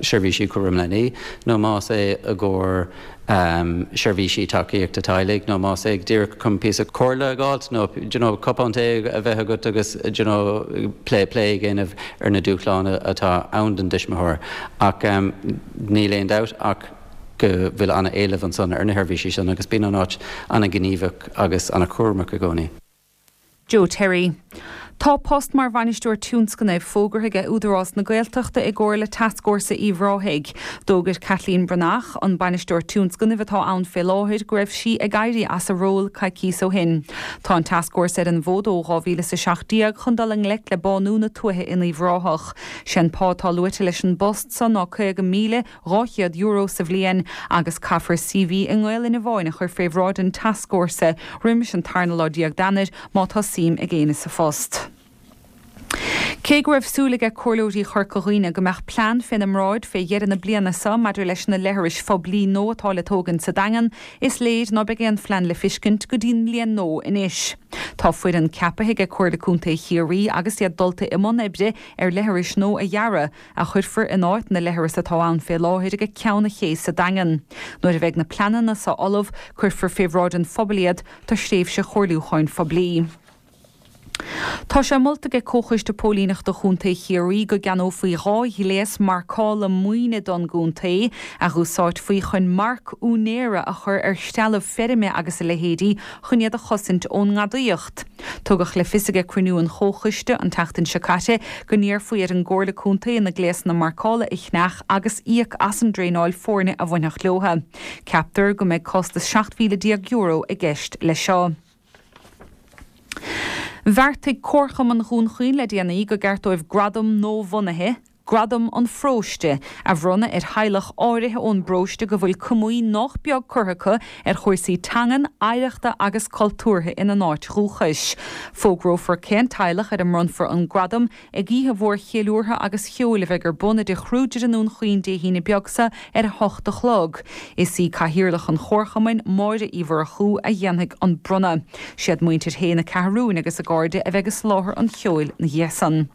seirbhísí cúram leanaí nó más é i gcomhair seirbhísí tacaíochta teaghlaigh nó más é díreach chun píosa comhairle a fháilt nó you know cupán tae a bheith agat agus you know plé plé a dhéanamh ar na dúshláin atá ann don tuismitheoir. Ach níl aon dabht ach go bhfuil an-éileamh ansan ar na sheirbhísí sin agus bíonn an áit an-ghníomhach agus an-chúramach i gcónaí. Joe Terry. Tá post mar bhainisteoir tionscnaimh fógartha ag Údarás na Gaeltachta i gcomhar le Tascfhórsa Uíbh Ráthaigh. D'fhógair Kathleen Breathnach, an bainisteoir tionscnaimh atá ann fé láthair, go raibh sí ag éirí as a ról coicíos ó shin. Tá an tascfhórsa ar an bhfód ó dhá mhíle is a seacht déag chun dul i ngleic le bánú na tuaithe in Uíbh Ráthach. Sé'n pá atá luaite leis an bpost so ná caoga míle dhá chéad euro sa bhliain agus caithfear C V i nGaelainn amháin a chur fé bhráid an tascfhórsa roimis an tarna lá déag d'Eanáir má tá suim ag éinne sa phost. Cé go raibh súil aige comhairleoirí Chorca Dhuibhne go mbeadh plean féna mbráid fé dheireadh na bliana seo maidir leis na leithris phoiblí nua atá le tógaint sa Daingean, is léir ná beidh aon phlean le fiscint go dtí'n mbliain nua anois. Tá foireann ceapaithe aige Comhairle Contae Chiarraí agus iad dulta i mbun oibre ar leithris nua a dhearadh, a chuirfear in áit na leithreas atá ann fé láthair ag Ceann an Ché sa Daingean. Nuair a bheidh na pleananna seo ullamh, cuirfear fé bhráid an phobail iad do thréimhse chomhairliúcháin phoiblí. Tá sé molta ag Comhchoiste Póilíneachta Chontae Chiarraí go gceannófaí dhá ghléas marcála maoine don gcontae, a dh'úsáidfí chun marc úinéara a chur ar threalamh feirme agus a leithéidí chun iad a chosaint ón ngadaíocht. Tugadh le fios ag cruinniú an Chomhchoiste an tseachtain seo caite go n-iarrfaí ar an gComhairle Contae na gléasanna marcála a cheannach agus íoc as an dtraenáil foirne a bhainfeadh leo. Ceaptar go mbeidh costas seacht mhíle déag euro i gceist leis seo. Bheartaigh Comharchumann Dhún Chaoin le déanaí go gceart dóibh gradam nuabhunaithe, Gradam an Pharóiste, a bhronnadh ar theaghlach áirithe ón bparóiste go bhfuil comaoin nách beag curtha acu ar chúrsaí teangan, oidhreachta agus cultúrtha ina n-áit dhúchais. Fógrófar cén teaghlach ar a mbronnfar an gradam ag oíche mhór cheiliúrtha agus cheoil a bheidh ar bun i dTigh Kruger i nDún Chaoin Dé hAoine beag seo ar a hocht a chlog. Is í Cathaoirleach an Chomharchumainn, Máire Uí Mhurchú, a dhéanfaidh an bronnadh. Siad muintir Shé na Ceathrún agus a gcairde a bheidh ag soláthar an cheoil na dhiaidh san.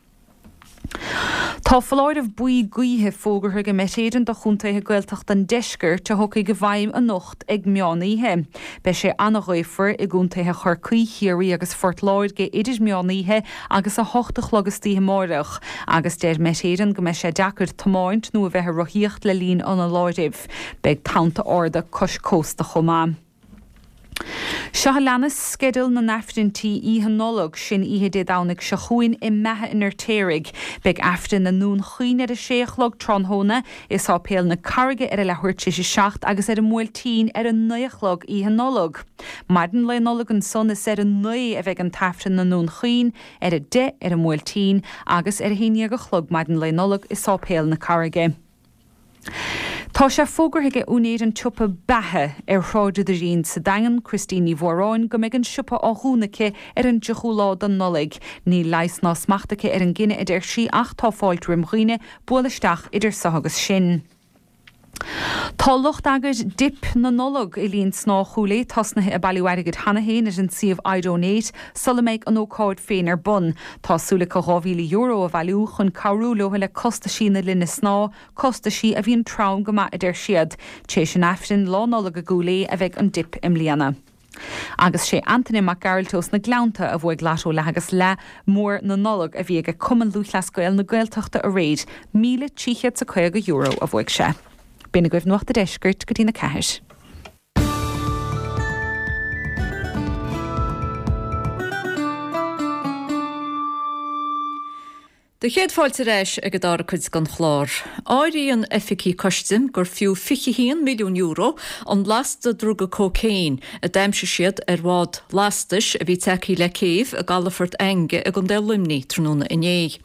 Tá foláireamh buí gaoithe fógartha ag Met Éireann do chontaetha Gaeltachta an deiscirt a thiocfaidh i bhfeidhm anocht ag meán oíche. Beidh sé an-ghaofar i gcontaetha Chorcaí, Chiarraí agus Phort Láirge idir meán oíche agus a hocht a chlog istoíche amáireach, agus deir Met Éireann go mbeidh sé deacair tiomáint nó a bheith ag rothaíocht le linn an fholáirimh. Beidh tonnta arda cois cósta chomh maith. Seo a leanas sceideal na nAifrinntí Oíche Nollag, sin oíche Dé Domhnaigh seo chugainn i mBeatha an Fheirtéaraigh. Beidh Aifreann i nDún Chaoin ar a sé a chlog tráthnóna, i Sáipéal na Carraige ar a leathuair tar éis a seacht agus ar an mBuailtín ar a naoi a chlog Oíche Nollag. Maidin Lae Nollag ansan is ar a naoi a bheidh an tAifreann i nDún Chaoin, ar a deich ar an mBuailtín agus ar a haon déag a chlog maidin Lae Nollag i Sáipéal na Carraige. Tá sé fógartha ag úinéir an tsiopa Beatha ar Shráid an Doirín sa Daingean, Christine Ní Mhóráin, go mbeidh an siopa á dhúnadh aici ar an dtríochú lá den Nollaig. Níl leigheas ná smacht aici ar an gcinneadh, a deir sí, ach tá fáilte roim dhaoine bualadh isteach idir seo agus sin. Tá lucht eagair Dip na Nollag i linn snáth Chúil Aodha tosnaithe ag bailiú airgid cheana féin ar an suíomh iDonate sula mbeidh an ócáid féin ar bun. Tá súil acu dhá mhíle euro a bhailiú chun cabhrú leo le costaisí na linne snáth, costaisí a bhíonn trom go maith a deir siad. Tar éis an Aifrinn Lá Nollag i gCúil Aodha a bheidh an dip i mbliana. Agus sé Antaine Mac Gearailt ós na Gleannta a bhuaigh Lotto leath agus leath mór na Nollag a bhí ag Cumann Lúthchleas Gael na Gaeltachta aréir, míle trí chéad is a caoga euro a bhuaigh sé. B'in agaibh Nuacht an Deiscirt go dtí na ceathair. Do chéad fáilte ar ais ag an dara cuid den chlár. Áiríonn oifigigh custaim gur fiú fiche haon milliún euro an lasta druga cócaon a d'aimsigh siad ar bhád lastais a bhí tagtha le céibh i gcalafort Fhainge i gContae Luimnigh tráthnóna inné.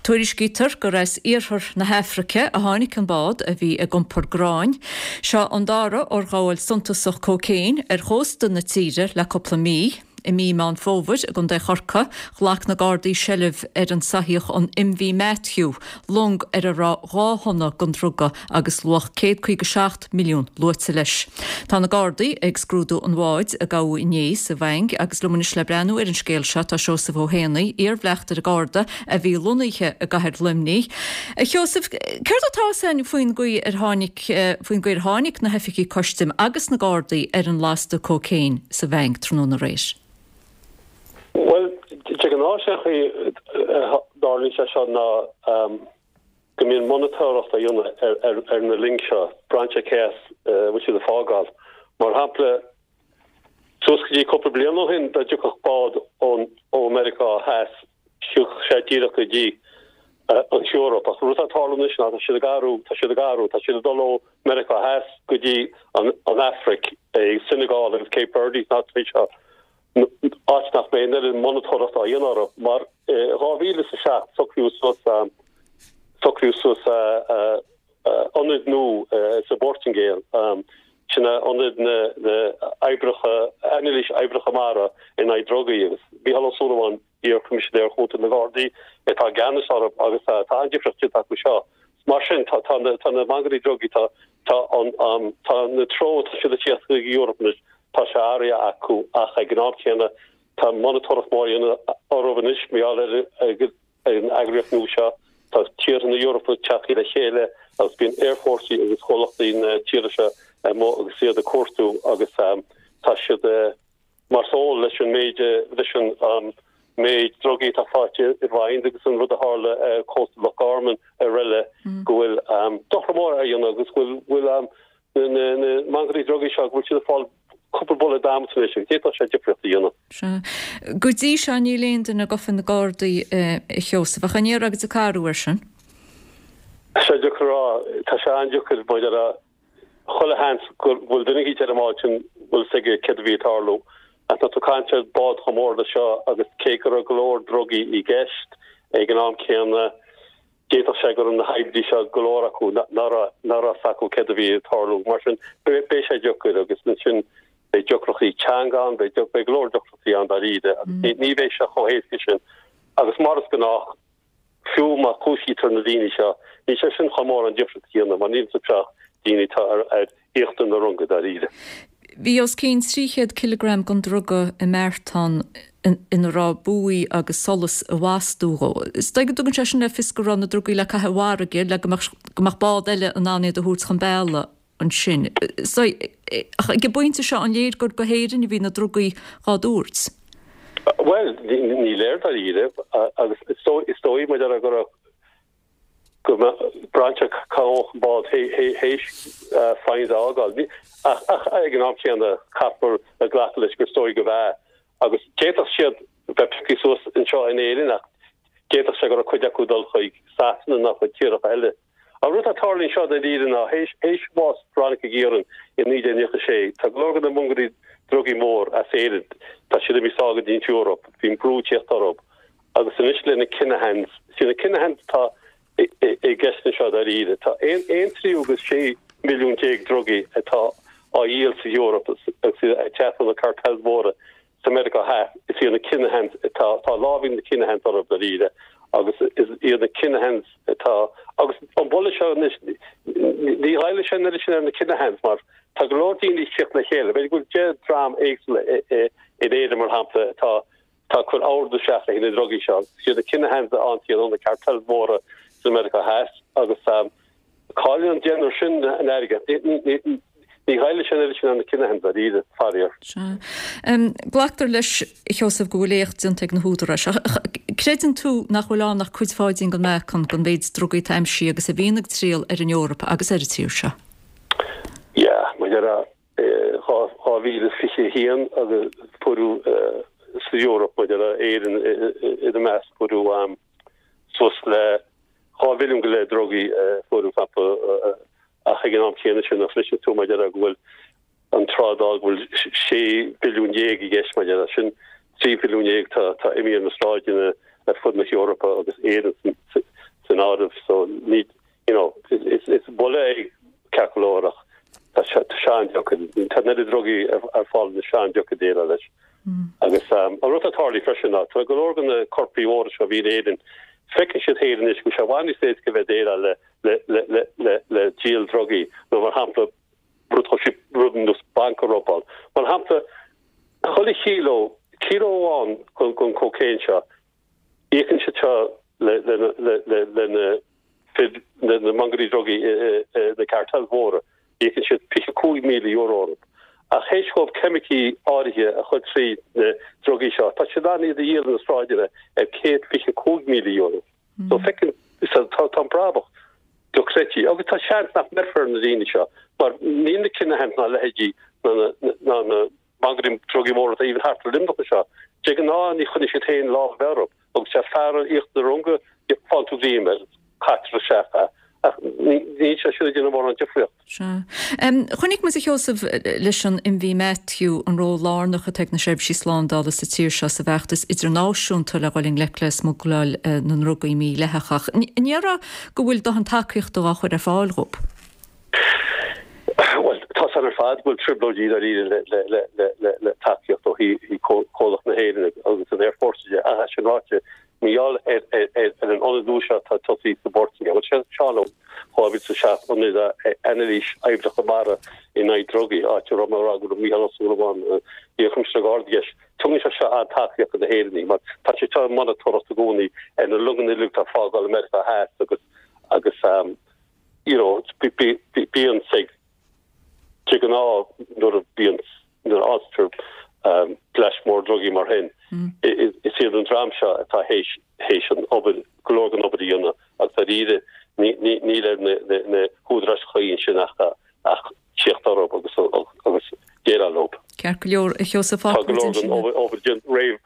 Tuairiscítear gur as iarthar na hAfraice a tháinig an bád a bhí ag iompar gráin. Seo an dara urghabháil suntasach cócaon ar chósta na tíre le cúpla mí. I mí Meán Fómhair i gContae Chorcaí, ghlac na Gardaí seilbh ar an soitheach an MV Matthew, long ar a raibh dhá thonna den druga agus luach céad caoga seacht milliún luaite leis. Tá na Gardaí ag scrúdú an bháid a gabhadh inné sa Mhaing agus liom anois le breathnú ar an scéal seo tá Seosamh Ó hÉanaí, iar-bhleachtaire Garda a bhí lonnaithe i gcathair Luimnigh. A Sheosaimh, céard atá fhios againn faoin gcaoi ar tháinig faoin gcaoi ar tháinig na hoifigigh custaim agus na Gardaí ar an lasta cócaon sa Mhaing tráthnóna aréir? Bhuel, de ghnáth sé chaoi a dtarlaíonn sé seo ná go mbíonn monatóireacht á dhéanamh ar na loing seo, braitheann sé cé as a bhfuil siad ag fágáil. Mar shampla, suas go dtí cúpla bliain ó shin dá dtiocfadh bád ón ó Meiriceá Theas, thiocfadh sé díreach go dtí an Eoraip. Ach an rud atá ag tarlú anois ná tá siad ag athrú, tá siad ag athrú, tá siad ag dul ó Meiriceá Theas go dtí an Afraic, Senegal agus Cape Verde, na háiteanna seo. áit nach mbeidh an oiread monatóireacht á dhéanamh orthu, mar i dhá mhíle is a seacht socraíodh suas socraíodh suas ionad nua sa bPortaingéil, sin é ionad na na oibreacha anailís oibreacha mara in aghaidh drugaí agus Mícheál Ó Súilleabháin, iar-Choimisinéir Chúnta na Gardaí, atá i gceannas orthu agus tá an-difríocht déanta acu seo. Mar sin tá tá na tá na mangairí drugaí tá tá an tá na treo tá siad ag tíocht chuig Eoraip anois Tá sé athraithe acu ach ag an am céanna tá monatóireacht mór á dhéanamh orthu anois mar gheall ar an eagraíocht nua seo. Tá tíortha na hEorpa tagtha le chéile agus bíonn aerfhórsaí agus comhlachtaí na tíortha seo amuigh agus iad ag cuartú agus tá siad mar is eol leis an méid leis an méid drugaí atá faighte i bhFoynes agus an rud a tharla ar chósta Loch Garman araile go bhfuil dochar mór á dhéanamh agus go bhfuil na mangairí drugaí seo go bhfuil siad ag fáil cúpla buille adhmaid anois agus d'fhéadfadh sé difríocht a dhéanamh. Sea. Go dtí seo níl aon duine gafa ag na Gardaí, a Sheosaimh, ach an ndéarfá go dtiocfaidh athrú air sin? Tá sé deacair a rá. Tá sé an-deacair maidir le chuile sheans go bhfuil duine eicínt ar an mbád sin bhfuil fhios aige céard a bhí ag tarlú. Ach tá tú ag caint ar bád chomh mór le seo agus cé go raibh go leor drugaí i gceist ag an am céanna, D'fhéadfadh sé go raibh na hoibrithe seo, go leor acu, nach raibh fhios acu céard a bhí ag tarlú. Mar sin, beidh sé deacair agus ansin beidh deacrachtaí teanga ann, beidh go leor deacrachtaí ann dáiríre agus ní bheidh sé chomh héasca sin. Agus mar is gnách, fiú má chúisítear na daoine seo, níl sé sin chun mórán difríocht a dhéanamh mar níl iontu seo ach daoine atá ar íochtar na runga dáiríre. Bhí os cionn trí chéad cileagram den druga i mbeartán ina raibh buaí agus solas a bhastú dhó. Is dóigh go dtugann sé sin le fios go raibh na drugaí le caitheamh i bhfarraige le go mbeadh go mbeadh bád eile in ann iad a thabhairt chun bealaigh ansin. Is dóigh, ach ag an bpointe seo an léir gur go hÉirinn a bhí na drugaí dhá dtabhairt? Bhuel, ní léir dáiríre agus is dóigh mar a déarfá go raibh go mbeadh brainse cá an bád théis Foynes a fhágáil. Ach ag an am céanna caithfear a ghlacadh leis gur dóigh go bhfeadh. Agus d'fhéadfadh siad bheith pioctha suas anseo in Éirinn ach d'fhéadfadh sé go raibh cuid acu ag dul chuig Sasana nó chuig tíortha eile. An rud atá ag tarlú anseo dáiríre ná théis bhás Veronica Guerin i naoi déag nócha sé, tá go leor de na mongairí drugaí mór as Éirinn, tá siad imithe sall go dtí an Eoraip, bhí an brú ag tíocht orthu. Agus anois le na Kinahans, is iad na Kinahans atá i gceist anseo dáiríre. Tá aon tríú agus sé milliún déag drugaí atá á dhíol sa Eoraip agus iad ag teacht ó na cartels mhóra sa Meiriceá Theas. Is iad na Kinahans atá, tá lámh ag na Kinahans orthu dáiríre agus is iad na Kinahans atá, agus an buille seo anois, ní ghoillfidh sé an oiread sin ar na Kinahans mar tá go leor daoine ag tíocht le chéile. B'fhéidir go bhfuil deich dream éagsúla in Éirinn mar shampla atá Tá ag cur ordú isteach le haghaidh na drugaí seo. Is iad na Kinahans a fhaigheann iad ó na cartels mhóra sa Meiriceá Theas agus cailleann an deichniúr sin an airgead. Ní ghoillfidh sé an oiread sin ar na Kinahans dáiríre, faraor. Sea. Glactar leis, a Sheosaimh, go bhfuil éacht déanta ag na húdaráis. Ach creideann tú nach bhfuil ann ach cuid pháidín den mbeacán den mhéid drugaí atá aimsithe agus a bhíonn ag triall ar an Eoraip agus ar an tír seo? Yeah, mar a déarfá. dhá mhíle is fiche a haon agus fuaireadh sa Eoraip, maidir le Éirinn ina measc, fuaireadh suas le dhá mhilliún go leith drugaí fuaireadh sampla ach ag an am céanna sin a chloiseann tú maidir le go bhfuil an trádáil go bhfuil sé bhilliún déag i gceist maidir le sin trí bhilliún déag tá imithe ar na sráideanna ar fud na hEorpa agus Éirinn san áireamh so ní you know, is buille é ceart go leor ach tá sé an-deacair. Tá an oiread drugaí ar fáil anois an-deacair déileáil leis. Agus an rud atá tarlaithe freisin ná tá go leor de na coirpigh mhóra seo a bhí in Éirinn, feiceann siad féin anois go bhfuil sé i bhfad níos éasca bheith ag déileáil le le le le le le díol drugaí nó mar shampla rud rud ar nós banc a robáil. Mar shampla chuile chíló cíló amháin den den cocaine seo íocann siad seo le le le le le na fir na na mangairí drugaí na cartels mhóra íocann siad fiche cúig míle euro orthu. Ach théis dóibh ceimicí áirithe a chur trí na drugaí seo, tá siad in ann iad a dhíol na sráideanna ar céad fiche cúig míle euro. So feiceann so tá tá an brabach dochreidte agus tá seans nach mbeifear na daoine seo mar níl na Kinahans ná leithéidí ná na ná na mangairí drugaí móra atá even thart ar Luimneach anseo. De ghnáth ní choinneoidh siad féin lámh orthu agus sé fear íochtar na runga fáil tú greim air, caitear isteach é. Ach níl sé sin ag déanamh mórán difríocht. Sea. Chonaic muid, a Sheosaimh, leis an MV Matthew an ról lárnach atá ag na seirbhísí slándála sa tír seo sa bhfeachtas idirnáisiúnta le dhul i ngleic le smugláil na ndrugaí mídhleathacha. An ndéarfá go bhfuil dóthain tacaíochta á chur ar fáil dhóibh? Bhuel, tá san ar fad go bhfuil trioblóidí dáiríre le, le, le, le, le, le tacaíocht ó thaobh comhlacht na hÉireann agus an Airforce de. Ach é sin ráite, Mar gheall ar an ionad nua seo atá tosaithe sa bPortaingéil, bhuel sin Seán ó dhá mhíle is a seacht, ionad anailís oibreacha mara in aghaidh drugaí, áit a raibh mé ag rá go raibh Mícheál Ó Súilleabháin, iar-Choimisinéir Gardaí i gceist. Tugann sé seo an-tacaíocht do na hÉireannaigh mar tá sé seo ag monatóireacht i gcónaí ar na longanna uilig atá ag fágáil Meiriceá Theas agus agus you know bíonn de ghnáth nuair a bhíonn nuair a fhaightear bleaist mór drugaí mar shin is iad an dream seo atá théis théis an obair go leor den obair a dhéanamh agus dáiríre níl ar na húdaráis chuí ansin ach ach tíocht orthu agus agus déileáil leo. Ceart go leor, a Sheosaimh, Tá go leor den obair déanta roimh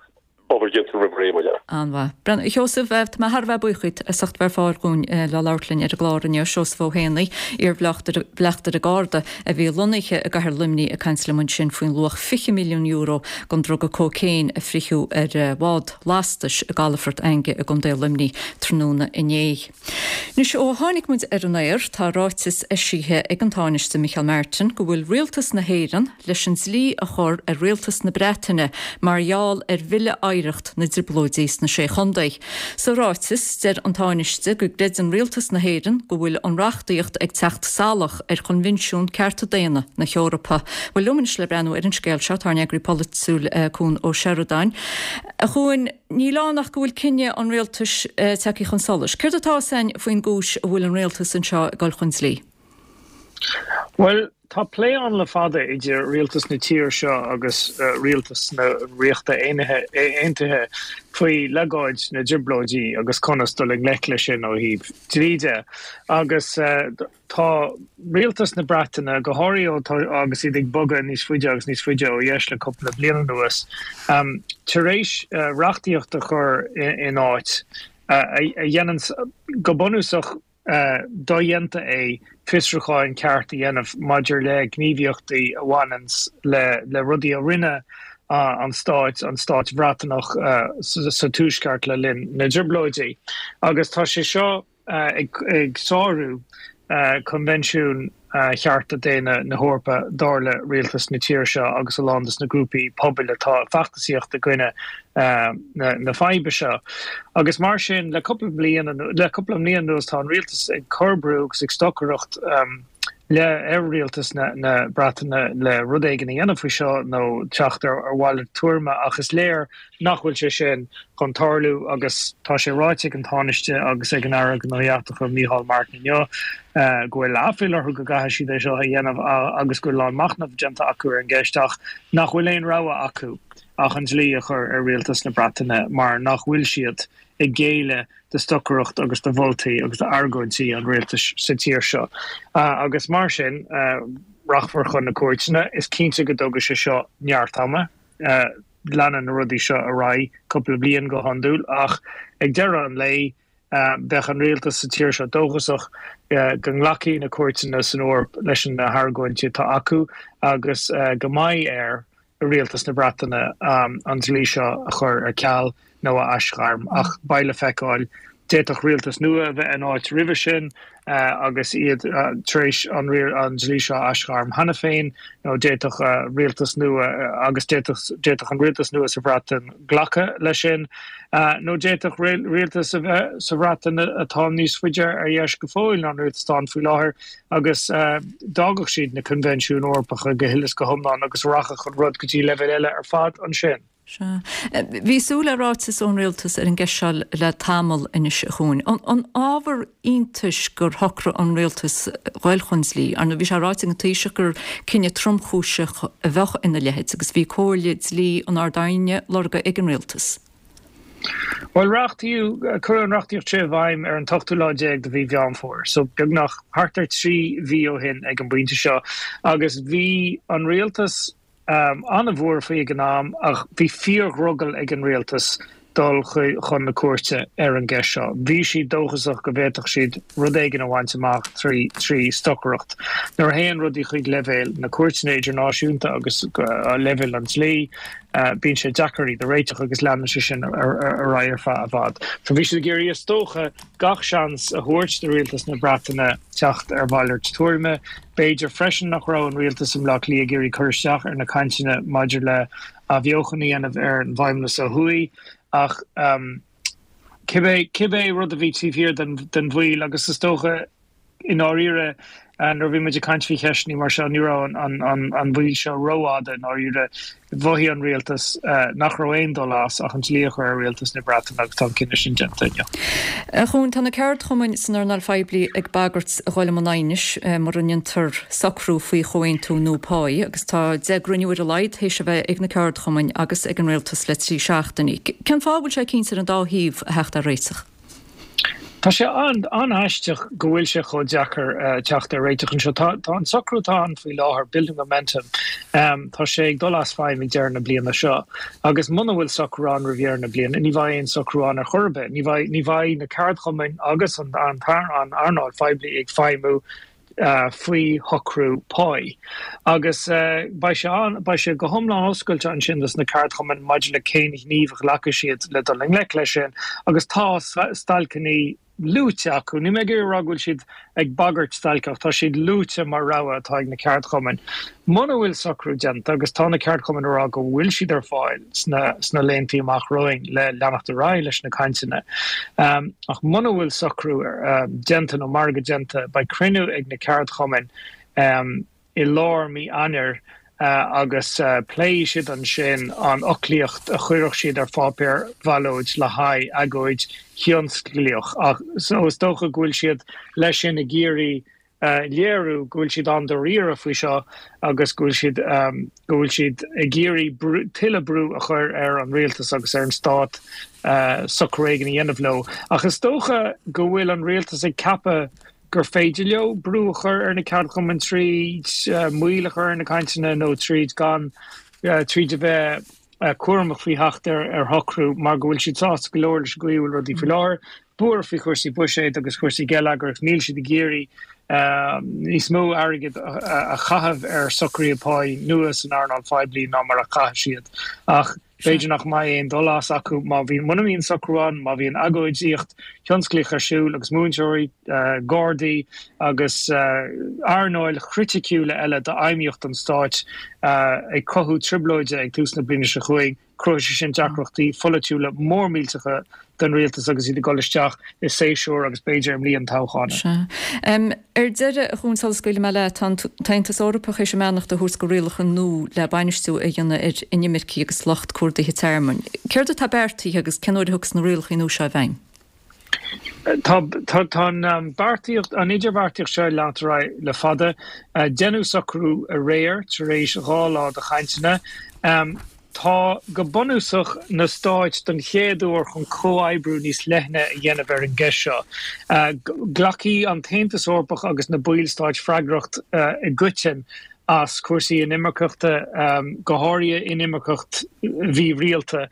obair déanta roimh ré, mar dhea. An-mhaith. A Sheosaimh, tá mé thar a bheith buíoch díot as ucht bheith ar fáil dhúinn le labhairt linn ar an gclár inniu. Seosamh Ó hÉanaí, iar-bhleachtaire Garda a bhí lonnaithe i gcathair Luimnigh ag caint liom ansin faoin luach fiche milliún euro den druga cócaon a fritheadh ar bhád lastais i gcalafort Fhainge i gContae Luimnigh tráthnóna inné. Anois ó tháinig muid ar an aer tá ráiteas eisithe ag an Tánaiste Micheál Martin go bhfuil Rialtas na hÉireann leis an dlí a chur ar Rialtas na Breataine mar gheall ar Bhille Oidhreacht na dTrioblóidí sna Sé Chontae. Sa ráiteas, deir an Tánaiste go gcreideann Rialtas na hÉireann go bhfuil an reachtaíocht ag teacht salach ar Choinbhinsiún Cearta Daonna na hEorpa. Bhuel, liom anois le breathnú ar an scéal seo tá ár n-eagraí polaitiúil Cuan Ó Seireadáin. A Chuain, níl ann ach go bhfuil cinneadh an rialtais tagtha chun solais. Céard atá 'fhios a'inn faoin gcúis a bhfuil an rialtas anseo ag dul chun dlí? Bhuel, tá plé ann le fada idir rialtas na tíre seo agus rialtas na Ríochta Aontaithe faoi legáid na dTrioblóidí agus conas dul i ngleic leis sin ó thaobh dlí de. Agus tá rialtas na Breataine, go háirithe ó tá agus iad ag bogadh níos faide agus níos faide ó dheis le cúpla bliain anuas, tar éis reachtaíocht a chur in áit a dhéanann go bunúsach dodhéanta é fiosrúcháin ceart a dhéanamh maidir le gníomhaíochtaí a bhaineanns le le rudaí a rinne an stáit, an stáit Bhreatanach sa Tuaisceart le linn na dTrioblóidí. Agus tá sé seo ag sárú Coinbhinsiún Chearta Daonna na hEorpa, dar le rialtas na tíre seo agus a lán de na grúpaí pobail atá ag feachtasaíocht i gcoinne na faidhbe seo. Agus mar sin, le cúpla bliain le cúpla mbliain anuas tá an rialtas ag cur brú agus ag stocaireacht le ar rialtas na na Breataine le rud éigin a dhéanamh faoi seo nó teacht ar ar mhalairt tuairime ach is léir nach bhfuil sé sin chun tarlú agus tá sé ráite ag an Tánaiste agus ag an Aire Gnóthaí Eachtracha Micheál Martin inniu go bhfuil aiféala orthu go gcaithfidh siad é seo a dhéanamh agus go bhfuil a lán machnaimh déanta acu ar an gceist ach nach bhfuil aon rogha acu ach an dlí a chur ar rialtas na Breataine mar nach bhfuil siad ag géilleadh do stocaireacht agus do mholtaí agus d'argóintí an rialtais sa tír seo. Agus mar sin, rachfar chun na cúirteanna. Is cinnte go dtógfaidh sé seo neart ama. Leanann na rudaí seo ar aghaidh cúpla bliain go hiondúil ach ag deireadh an lae, bheadh an rialtas sa tír seo dóchasach go nglacfaidh na cúirteanna san Eoraip leis na hargóintí atá acu agus go mbeidh ar rialtas na Breataine an dlí seo a chur ar ceal nó a aisghairm. Ach beidh le feiceáil. D'fhéadfadh rialtas nua a bheith in áit roimhe sin agus iad tar éis an dlí seo a aisghairm cheana féin, nó d'fhéadfadh rialtas nua agus d'fhéadfadh an rialtas nua sa Bhreatain glacadh leis sin, nó d'fhéadfadh rialtas a bheith sa Bhreatain atá níos faide ar dheis go fóill ná an rialtas atá ann faoi láthair agus d'fhágfadh siad na Coinbhinsiúin Eorpacha go huile is go hiomlán agus rachadh an rud go dtí leibhéal eile ar fad ansin. Sea. Bhí súil le ráiteas ón rialtas ar an gceist seo le tamall anois, a Chuain. An ábhar iontais gur shocraigh an rialtas dhul chun dlí? Ar ndóigh, bhí sé ráite ag an Taoiseach gur cinneadh tromchúiseach a bheadh ina leithéid agus bhí comhairle dlí an Ard-Aighne lorgtha ag an rialtas. Bhuel, reachtaíodh, cuireadh an reachtaíocht seo i bhfeidhm ar an t-ochtú lá déag de mhí Mheán Fómhair, so beagnach thart ar trí mhí ó shin ag an bpointe seo, agus bhí an rialtas, an-bhuartha faoi ag an am ach bhí fíordhrogall ag an rialtas dul chun na cúirte ar an gceist seo. Bhí siad dóchasach go bhféadfadh siad rud éigin a bhaint amach trí trí stocaireacht. Nuair a théann rudaí chuig leibhéal na cúirteanna idirnáisiúnta agus leibhéal an dlí, bíonn sé deacair iad a réiteach agus leanann sé sin ar aghaidh ar feadh i bhfad. So bhí siad ag iarraidh is dócha gach seans a thabhairt do rialtas na Breataine teacht ar mhalairt tuairime. B'fhéidir freisin nach raibh an rialtas i mBleá Cliath ag iarraidh cur isteach ar na cainteanna maidir le athbheochan a dhéanamh ar an bhFeidhmeannas ó thuaidh ach cibé cibé rud a bhí taobh thiar den den mhoill agus is dócha i ndáiríre nuair a bhí muid ag caint faoi cheisteanna mar seo ní raibh an an an mhoill seo rófhada i ndáiríre. Mhothaigh an rialtas nach raibh aon dul as ach an dlí a chur ar rialtas na Breataine agus tá an cinneadh sin déanta inniu. A Chuain, tá na ceardchumainn san earnáil phoiblí ag bagairt a dhul i mbun aighnis mura ndéantar socrú faoi chomhaontú nua páí agus tá deich gcruinniú ar a laghad théis a bheith ag na ceardchumainn agus ag an rialtas le trí seachtainí. Cén fáth a bhfuil sé cinnte ar an dá thaobh a theacht ar réiteach? Tá sé an-aisteach go bhfuil sé chomh deacair teacht ar réiteach anseo. Tá an socrú atá ann faoi láthair, Building Momentum, tá sé ag dul as feidhm ag deireadh na bliana seo agus muna bhfuil socrú ann roimh dheireadh na bliana, ní bheidh aon socrú ann ar chor ar bith. Ní bheidh na ceardchumainn agus an earnáil phoiblí ag feidhmiú faoi shocrú páí. Agus beidh sé an, beidh sé go hiomlán oscailte ansin dos na ceardchumainn maidir le cén ghníomh a ghlacfaidh siad le dul i ngleic leis sin. Agus tá stailceanna luaite acu. Níl mé ag iarraidh a rá go bhfuil siad ag bagairt stailce ach tá siad luaite mar rogha atá ag na ceardchumainn. Muna bhfuil socrú déanta, agus tá na ceardchumainn ag rá go bhfuil siad ar fáil sna sna laethanta amach romhainn le leanacht ar aghaidh leis na cainteanna, ach muna bhfuil socrú déanta nó margadh déanta, beidh cruinniú ag na ceardchumainn i lár mí Eanáir agus pléifidh siad ansin an fhoclaíocht a chuirfeadh siad ar pháipéar ballóid le haghaidh agóid thionsclaíoch. Ach so is dócha go bhfuil siad leis sin ag iarraidh léiriú go bhfuil siad an-dáiríre faoi seo agus go bhfuil siad go bhfuil siad ag iarraidh tuilleadh brú a chur ar an rialtas agus ar an stát socrú éigin a dhéanamh leo. Ach is dócha go bhfuil an rialtas ag ceapadh gur féidir leo brú a chur ar na ceardchumainn tríd moill a chur ar na cainteanna nó tríd gan tríd a bheith cúramach faoi theacht ar shocrú mar go bhfuil siad sásta go leor leis an gcaoi a bhfuil rudaí faoi láthair, buartha faoi chúrsaí buiséid agus chúrsaí geilleagair agus níl siad ag iarraidh níos mó airgid a chaitheamh ar socruithe páí nua san earnáil phoiblí ná mar a chaith siad. Ach b'fhéidir nach mbeidh aon dul as acu má bhíonn, muna mbíonn socrú ann, má bhíonn agóidíocht thionsclaíoch ar siúl agus múinteoirí, gardaí agus earnáil chriticiúla eile d'fheidhmíocht an stáit ag cothú trioblóide ag tús na bliana seo chugainn, cruthóidh sé sin deacrachtaí pholaitiúla mór millteacha don rialtas agus iad ag dul isteach i séasúr agus b'fhéidir i mbliain toghcháin. Sea. Ar deireadh, a Chuain, sula scaoilfidh mé leat, tá an tAontas Eorpach théis a mbeannacht a thabhairt do rialacha nua le bainistiú a dhéanamh ar inimircigh agus lucht cuardaithe tearmainn. Céard atá beartaithe agus cén uair a thiocfas na rialacha nua seo i bhfeidhm? Tá tá an beartaíocht, an idirbheartaíocht seo ag leanacht ar aghaidh le fada. Deineadh socrú aréir tar éis dhá lá de chainteanna. Tá, go bunúsach, na stáit don chéad uair chun comhoibriú níos leithne a dhéanamh ar an gceist seo. Glacfaidh an tAontas Eorpach agus na ballstáit freagracht i gcoiteann as cúrsaí inimirceachta, go háirithe inimirceacht mhírialta,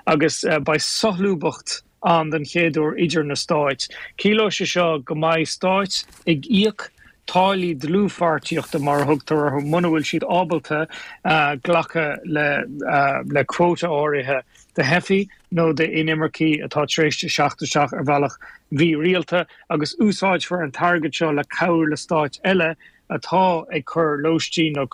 agus beidh solúbthacht ann den chéad uair idir na stáit. Ciallóidh sé seo go mbeidh stáit ag íoc táillí dlúthpháirtíochta mar a thugtar orthu muna bhfuil siad ábalta glacadh le le quota áirithe de theifigh nó d'inimircigh atá tar éis teacht isteach ar bhealach mhírialta agus úsáidfear an t-airgead seo le cabhrú le stáit eile atá ag cur lóistín nó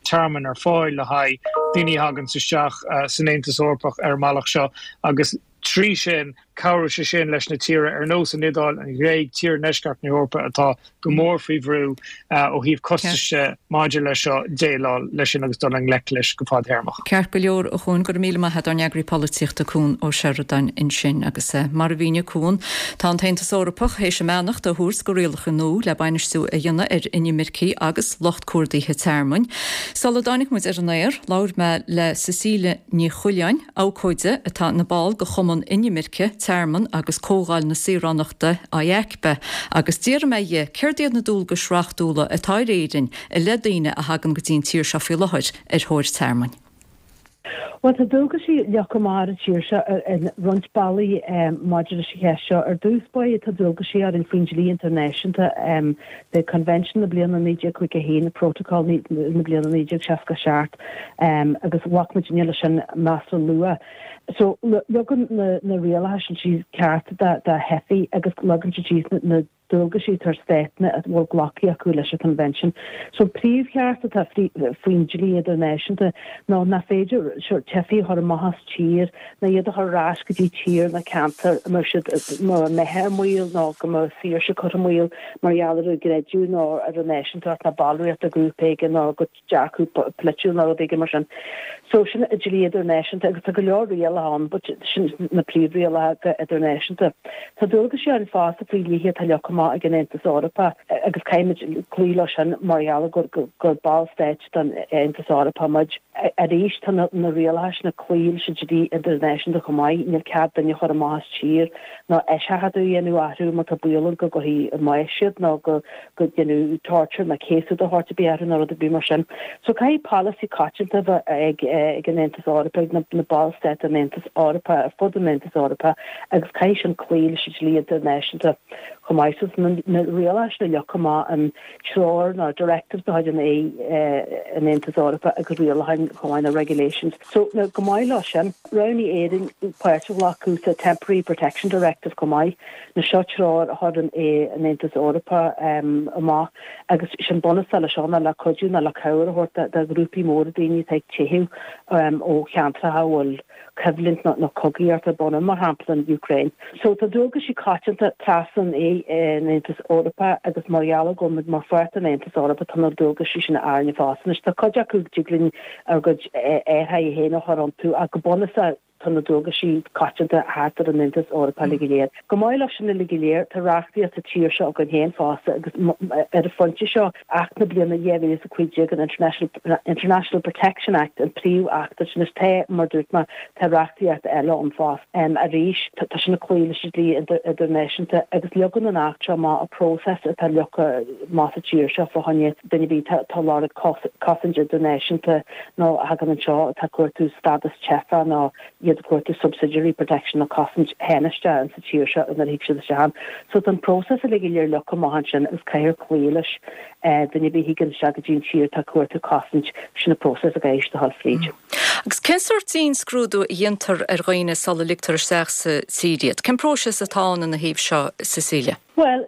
tearmann ar fáil le haghaidh daoine a thagann isteach san Aontas Eorpach ar an mbealach seo agus trí sin cabhróidh sé sin leis na tíortha ar nós an Iodáil, an Ghréig, tíortha ndeisceart na hEorpa atá go mór faoi bhrú ó thaobh costais de maidir leis seo déileáil leis sin agus dul i ngleic leis go fadtéarmach. Ceart go leor a Chuain, go raibh míle maith agat ár n-eagraí polaitíochta Cuan Ó Seireadáin ansin agus mar a mhínigh Cuan, tá an tAontas Eorpach théis a mbeannacht a thabhairt do rialacha nua le bainistiú a dhéanamh ar inimircigh agus lucht cuardaithe tearmainn. Sula dtáinig muid ar an aer, labhair mé le Cecilia Ní Choileáin, abhcóide atá ina ball de Chumann Inimirce, Tearmann agus Comhdháil na Saoránachta, IACBE, agus d'iarr mé dhi céard iad na dualgais reachtúla atá ar Éirinn i leith daoine a thagann go dtí an tír seo faoi láthair ar thóir tearmainn. Bhuel, tá dualgaisí leagtha amach ar an tír seo ar roinnt bealaí maidir leis an cheist seo. Ar dtús báire, tá dualgaisí orainn faoin dlí idirnáisiúnta, the Convention na bliana naoi déag caoga a haon, Protocol na bliana naoi déag seasca a seacht, agus ghlac muidinne leis an masla luath. So, leagann na rialacha sin síos cearta do theifigh agus leagann siad síos na dualgaisí atá ar státanna a bhfuil glactha acu leis an Convention. So, príomhcheart atá faoin dlí idirnáisiúnta ná nach féidir teifigh a chur amach as tír ná iad a chur ar ais go dtí tír nó ceantar a mbeadh siad, a mbeadh a mbeatha i mbaol nó go mbeadh a saoirse curtha i mbaol mar gheall ar a gcreideamh nó ar a náisiúntacht nó ballraíocht de ghrúpa éigin nó a gcuid dearcadh polaitiúil nó rud éigin mar sin. So sin an dlí idirnáisiúnta agus tá go leor rialacha ann but sin na príomhrialacha idirnáisiúnta. Tá dualgaisí orainn fosta faoi dhlíthe atá leagtha amach ag an Aontas Eorpach agus caithfimid cloí leo sin mar gheall gur gur ballstáit den Aontas Eorpach muid. Arís tá na na rialacha sin ag cloí leis an dlí idirnáisiúnta chomh maith, níl cead duine a chur amach as tír nó eiseachadadh a dhéanamh orthu má tá baol ann go gcuirfí i mbás iad nó go go ndéanfaí torture nó céasadh de shórt ar bith orthu nó rud ar bith mar sin. So caithfidh polasaí coitianta a bheith ag ag an Aontas Eorpach, ag na na ballstáit den Aontas Eorpach ar fud an Aontais Eorpaigh agus caithfidh sin cloí leis an dlí idirnáisiúnta chomh maith. So na na rialacha sin a leagtha amach an treoir nó directives de chuid an AE an Aontas Eorpaigh agus rialacháin chomh maith na regulations. So na go maith leo sin, roghnaigh Éirinn páirt a ghlacadh sa Temporary Protection Directive chomh maith. Now seo treoir a chuireann an Aontas Eorpach amach agus sin bunús leis seo ná le cuidiú nó le cabhair a thabhairt do ghrúpaí móra daoine atá ag teitheadh ó cheantracha a bhfuil coimhlint nó cogaíocht ar bun ann, mar shampla an Úcráin. So tá dualgaisí coitianta trasna an Aontas Eorpach agus mar gheall go bhfuil muid mar pháirt den Aontas Eorpach tá na dualgaisí sin orainne fosta. Anois tá cuid acu dtig linn ár gcuid athruithe féin a chur iontu ach go bunúsach tá na dualgaisí coitianta thart ar an Aontas Eorpach uilig go léir. Go maith leo sin uilig go léir, tá reachtaíocht sa tír seo againn féin fosta agus ar an phointe seo, Acht na bliana dhá mhíle is a cúig déag, an International Protection Act, an príomh-acht sin. Anois tá, mar a dúirt mé, tá reachtaíocht eile ann fosta. Arís, tá sin ag cloí leis an dlí idirnáisiúnta agus leagann an Acht seo amach an próiseas atá leagtha amach sa tír seo fá choinne duine ar bith atá ag lorg cosaint idirnáisiúnta nó a thagann anseo atá ag cuartú stádas teifeach nó iad ag cuartú subsidiary protection nó cosaint thánaisteach in sa tír seo nuair a thig siad isteach ann. So tá an próiseas uilig go léir leagtha amach ansin agus caithfear cloí leis. Duine ar bith a thigeann isteach go dtí an tír atá ag cuartú cosaint, sin an próiseas a gcaithfidh siad a dhul fríd. Agus cén sórt dianscrúdú a dhéantar ar dhaoine sula ligtear isteach sa tír iad? Cén próiseas atá ann ina thaobh seo, Cecilia? Bhuel,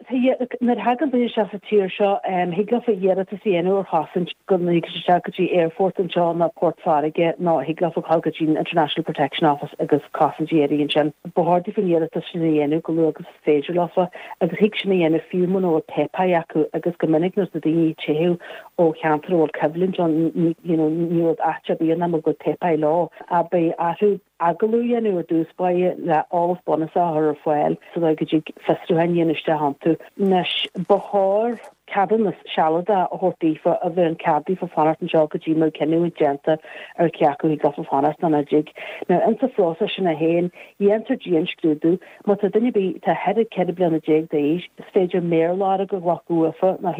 nuair a thagann duine isteach sa tír seo, thig leofa iarratas a dhéanamh ar chosaint go dtig isteach go dtí aerfort anseo nó port farraige nó thig leofa dul go dtí an International Protection Office agus cosaint a iarraidh ansin. Ba chóir daofa an iarratas sin a dhéanamh go luath agus is féidir leofa agus thig sin a dhéanamh fiú muna bhfuil páipéir acu agus go minic nuair atá daoine ag teitheadh ó cheantar a bhfuil coimhlint ann, you know, ní rud ait ar bith é nach mbeadh a gcuid páipéir leo. Ach beidh orthu agallamh a dhéanamh ar dtús báire le eolas bunúsach a chur ar fáil sa dóigh go dtig fiosrúchán a dhéanamh isteach iontu. Anois, ba chóir ceadúnas sealadach a thabhairt daofa a bheireann cead daofa fanacht anseo go dtí go mbeidh cinneadh déanta ar cé acu thig leofa fanacht nó nach dtig. Now, insa phróiseas sin é féin, dhéantar dianscrúdú. Má tá duine ar bith atá thar ceithre bliana déag d'aois, is féidir méarlorg a ghlacadh uafa nó